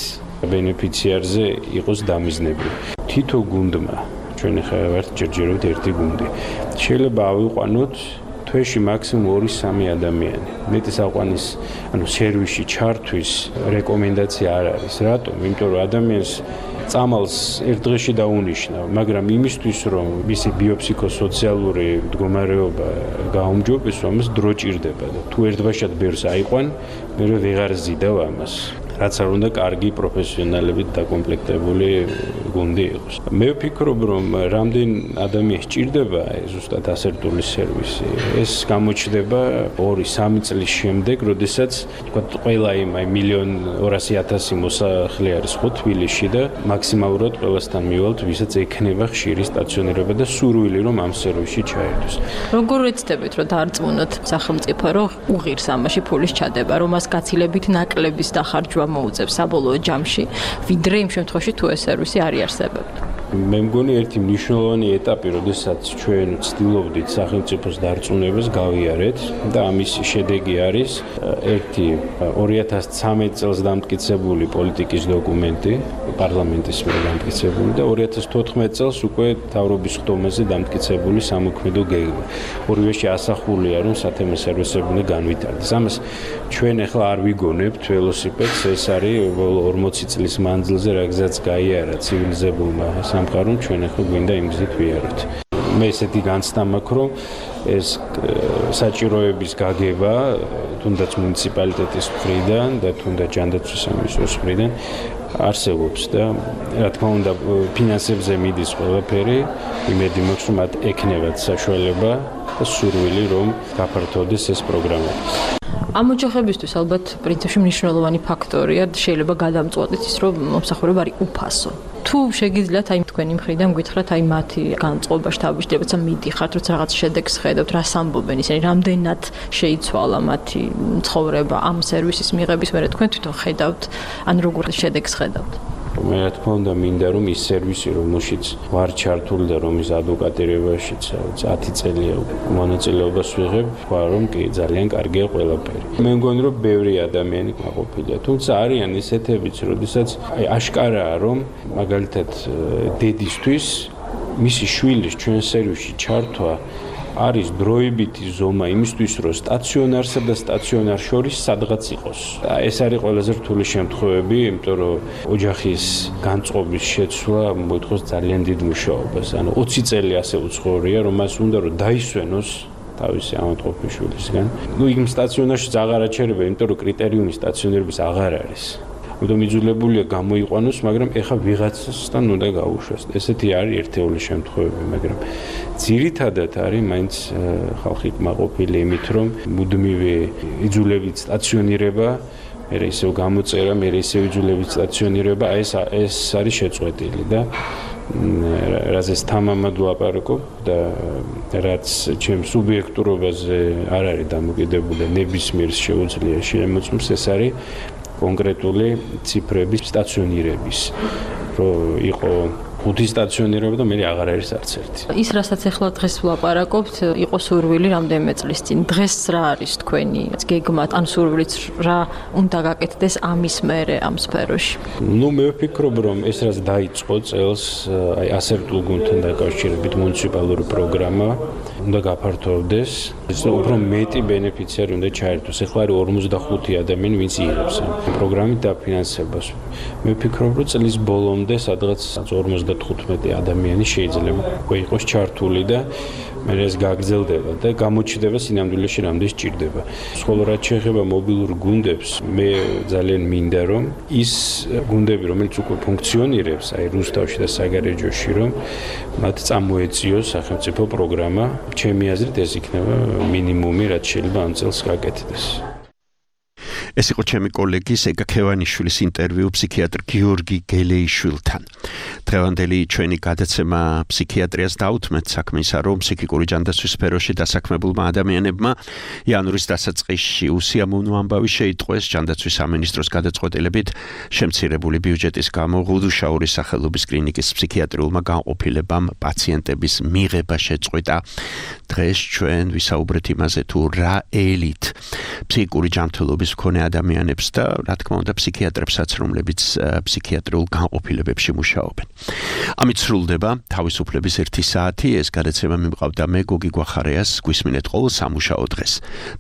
ბენეფიციარზე იყოს დამიზნებული. თითო გუნდმა ჩვენ ხა ვართ ჯერჯერობით ერთი გუნდი. შეიძლება ავიყვანოთ თვეში მაქსიმუმ ორი სამი ადამიანი. მეტის აყვანის, ანუ სერვისში ჩართვის რეკომენდაცია არ არის. რატომ? იმიტომ რომ ადამიანს წამალს ერთ დღეში დაუნიშნა, მაგრამ იმისთვის რომ მისი ბიოფსიქოსოციალური მდგომარეობა გაუმჯობესო, ამას დრო ჭირდება და თუ ერთბაშად ბერს აიყვან, მე ვეღარ ზიდავ ამას. რაც არ უნდა კარგი პროფესიონალებით დაკომპლექტებული გუნდი იყოს. მე ვფიქრობ, რომ რამდენ ადამიანს სჭირდება ზუსტად ასერტული სერვისი. ეს გამოჩნდება ორი სამი წლის შემდეგ, როდესაც თქვა ყველა იმ აი მილიონ ორასი ათასი მოსახლე არის ხო თბილისში და მაქსიმალურად ყველასთან მივალთ, ვისაც ექნება ხშირი სტაციონირება და სურვილი რომ ამ სერვისში ჩაერთოს. როგორ ეცდებით, რომ დაარწმუნოთ სახელმწიფო, რომ უღირს ამაში ფულის ჩადება, რომ მას გაცილებით ნაკლების დახარჯვა მოუწევს საბოლოო ჯამში, ვიდრე იმ შემთხვევაში თუ ეს სერვისი არ იარსებებდა. მე მგონი ერთი მნიშვნელოვანი ეტაპი, როდესაც ჩვენ ვცდილობდით სახელმწიფოს დარწმუნებას გავიარეთ და ამის შედეგი არის ერთი ორი ათას ცამეტ წელს დამტკიცებული პოლიტიკის დოკუმენტი, პარლამენტის მიერ დამტკიცებული და ორი ათას თოთხმეტ წელს უკვე მთავრობის ხდომაზე დამტკიცებული სამოქმედო გეგმა. ორივეში ასახულია, რომ სათემო სერვისები უნდა განვითარდეს. ამას ჩვენ ახლა არ ვიგონებთ ველოსიპედს, ეს არის ორმოცი წლის მანძილზე რა გზაც გაიარა ცივილიზებულმა სამყარომ, ჩვენ ახლა გვინდა იმ გზით ვიაროთ. მე ესეთი განცდა მაქვს, რომ ეს საჭიროების გაგება თუნდაც მუნიციპალიტეტის მხრიდან და თუნდაც ჯანდაცვის სამინისტროს მხრიდან არსებობს და რა თქმა უნდა ფინანსებზე მიდის ყველაფერი, იმედი მაქვს, რომ მათ ექნებათ საშუალება და სურვილი, რომ გაფართოვდეს ეს პროგრამა. ამ ოჯახებისთვის ალბათ პრინციპში მნიშვნელოვანი ფაქტორია, შეიძლება გადამწყვეტით ის, რომ მომსახურება არის უფასო. თუ შეგიძლიათ აი თქვენი მხრიდან გითხრათ აი მათი განწყობა შთაბეჭდილება, როცა მიდიხართ, როცა რაღაც შედეგს ხედავთ, რას ამბობენ ისინი, რამდენად შეიცვალა მათი ცხოვრება ამ სერვისის მიღების მერე თქვენ თვითონ ხედავთ, ან როგორ შედეგს ხედავთ? მე რა თქმა უნდა მინდა რომ ის სერვისი რომელშიც ვარ ჩართული და რომის ადვოკატირებაშიც ათი წელია მონაწილეობას ვიღებ, თქვა რომ კი ძალიან კარგია ყველაფერი. მე მგონი რომ ბევრი ადამიანი გაყოფილია, თუმცა არიან ისეთებიც, როდესაც აი აშკარაა რომ მაგალითად დედისთვის მისი შვილის ჩვენ სერვისში ჩართვა არის დროებითი ზომა იმისთვის, რომ სტაციონარსა და სტაციონარ შორის სადღაც იყოს. ეს არის ყველაზე რთული შემთხვევები, იმიტომ რომ ოჯახის განწყობის შეცვლა მოითხოვს ძალიან დიდ მუშაობას. ანუ ოცი წელი ასე უცხოურია, რომ მას უნდა რომ დაისვენოს თავისი ამატყოფის შვილისგან. ნუ იმ სტაციონარში აღარ აჩერება, იმიტომ რომ კრიტერიუმი სტაციონირების აღარ არის. ამიტომ იძულებულია გამოიყვანოს, მაგრამ ეხა ვიღაცასთან უნდა გაუშვას. ესეთი არის ერთეული შემთხვევები, მაგრამ ძირითადად არის მაინც ხალხი კმაყოფილი იმით, რომ მუდმივი იძულებით სტაციონირება, მე ისევ გამოწერა, მე ისევ იძულებით სტაციონირება, ეს ეს არის შეწყვეტილი და რაზეც თამამად ვლაპარაკობ და რაც ჩემ სუბიექტურობაზე არ არის დამოკიდებული, ნებისმიერ შეუძლია შემოწმოს, ეს არის კონკრეტული ციფრების სტაციონირების, რომ იყო ხუთი სტაციონირება და მე აღარ არის არც ერთი. ის რასაც ახლა დღეს ვლაპარაკობთ, იყო სურვილი რამდენიმე წლის წინ. დღეს რა არის თქვენი გეგმა, ან სურვილიც რა უნდა გაკეთდეს ამის მერე ამ სფეროში? ნუ მე ვფიქრობ, რომ ეს რაც დაიწყო წელს, აი ასერტულ გუნდთან დაკავშირებით მუნიციპალური პროგრამა უნდა გაფართოვდეს. ეს უფრო მეტი ბენეფიციარი უნდა ჩაერთოს. ეხლა არის ორმოცდახუთი ადამიანი, ვინც იღებს ამ პროგრამით დაფინანსებას. მე ვფიქრობ, რომ წლის ბოლომდე სადღაც ორმოცდათხუთმეტი ადამიანი შეიძლება უკვე იყოს ჩართული და მე ეს გაგრძელდება და გამოჩნდება სინამდვილეში რამდენი სჭირდება. ხოლო რაც შეეხება მობილურ გუნდებს, მე ძალიან მინდა რომ ის გუნდები, რომელიც უკვე ფუნქციონირებს, აი რუსთავში და საგარეჯოში, რომ მათ წამოეწიოს სახელმწიფო პროგრამა. ჩემი აზრით ეს იქნება მინიმუმი, რაც შეიძლება ამ წელს გაკეთდეს. ეს იყო ჩემი კოლეგის ეგა ქევანიშვილის ინტერვიუ ფსიქიატრ გიორგი გელეიშვილთან. დღევანდელი ჩვენი გადაცემა ფსიქიატრიას დაუთმეთ საქმისა, რომ ფსიქიკური ჯანდაცვის სფეროში დასაქმებულმა ადამიანებმა იანვრის დასაწყისში უსიამოვნო ამბავი შეიტყვეს ჯანდაცვის სამინისტროს გადაწყვეტილებით შემცირებული ბიუჯეტის გამო ღუდუშაურის სახელობის კლინიკის ფსიქიატრიულმა განყოფილებამ პაციენტების მიღება შეწყვიტა. დღეს ჩვენ ვისაუბრეთ იმაზე, თუ რა ელით ფსიქიკური ჯანმრთელობის მქონე ადამიანებს და რა თქმა უნდა ფსიქიატრებსაც, რომლებიც ფსიქიატრიულ განყოფილებებში მუშაობენ. ამით სრულდება თავისუფლების ერთი საათი. ეს გადაცემა მიმყავდა მე გოგი გვახარიას. გვისმინეთ ყოველ სამუშაო დღეს.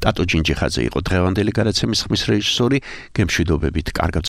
ტატო ჯინჯიხაძე იყო დღევანდელი გადაცემის ხმის რეჟისორი. გემშვიდობებით, კარგად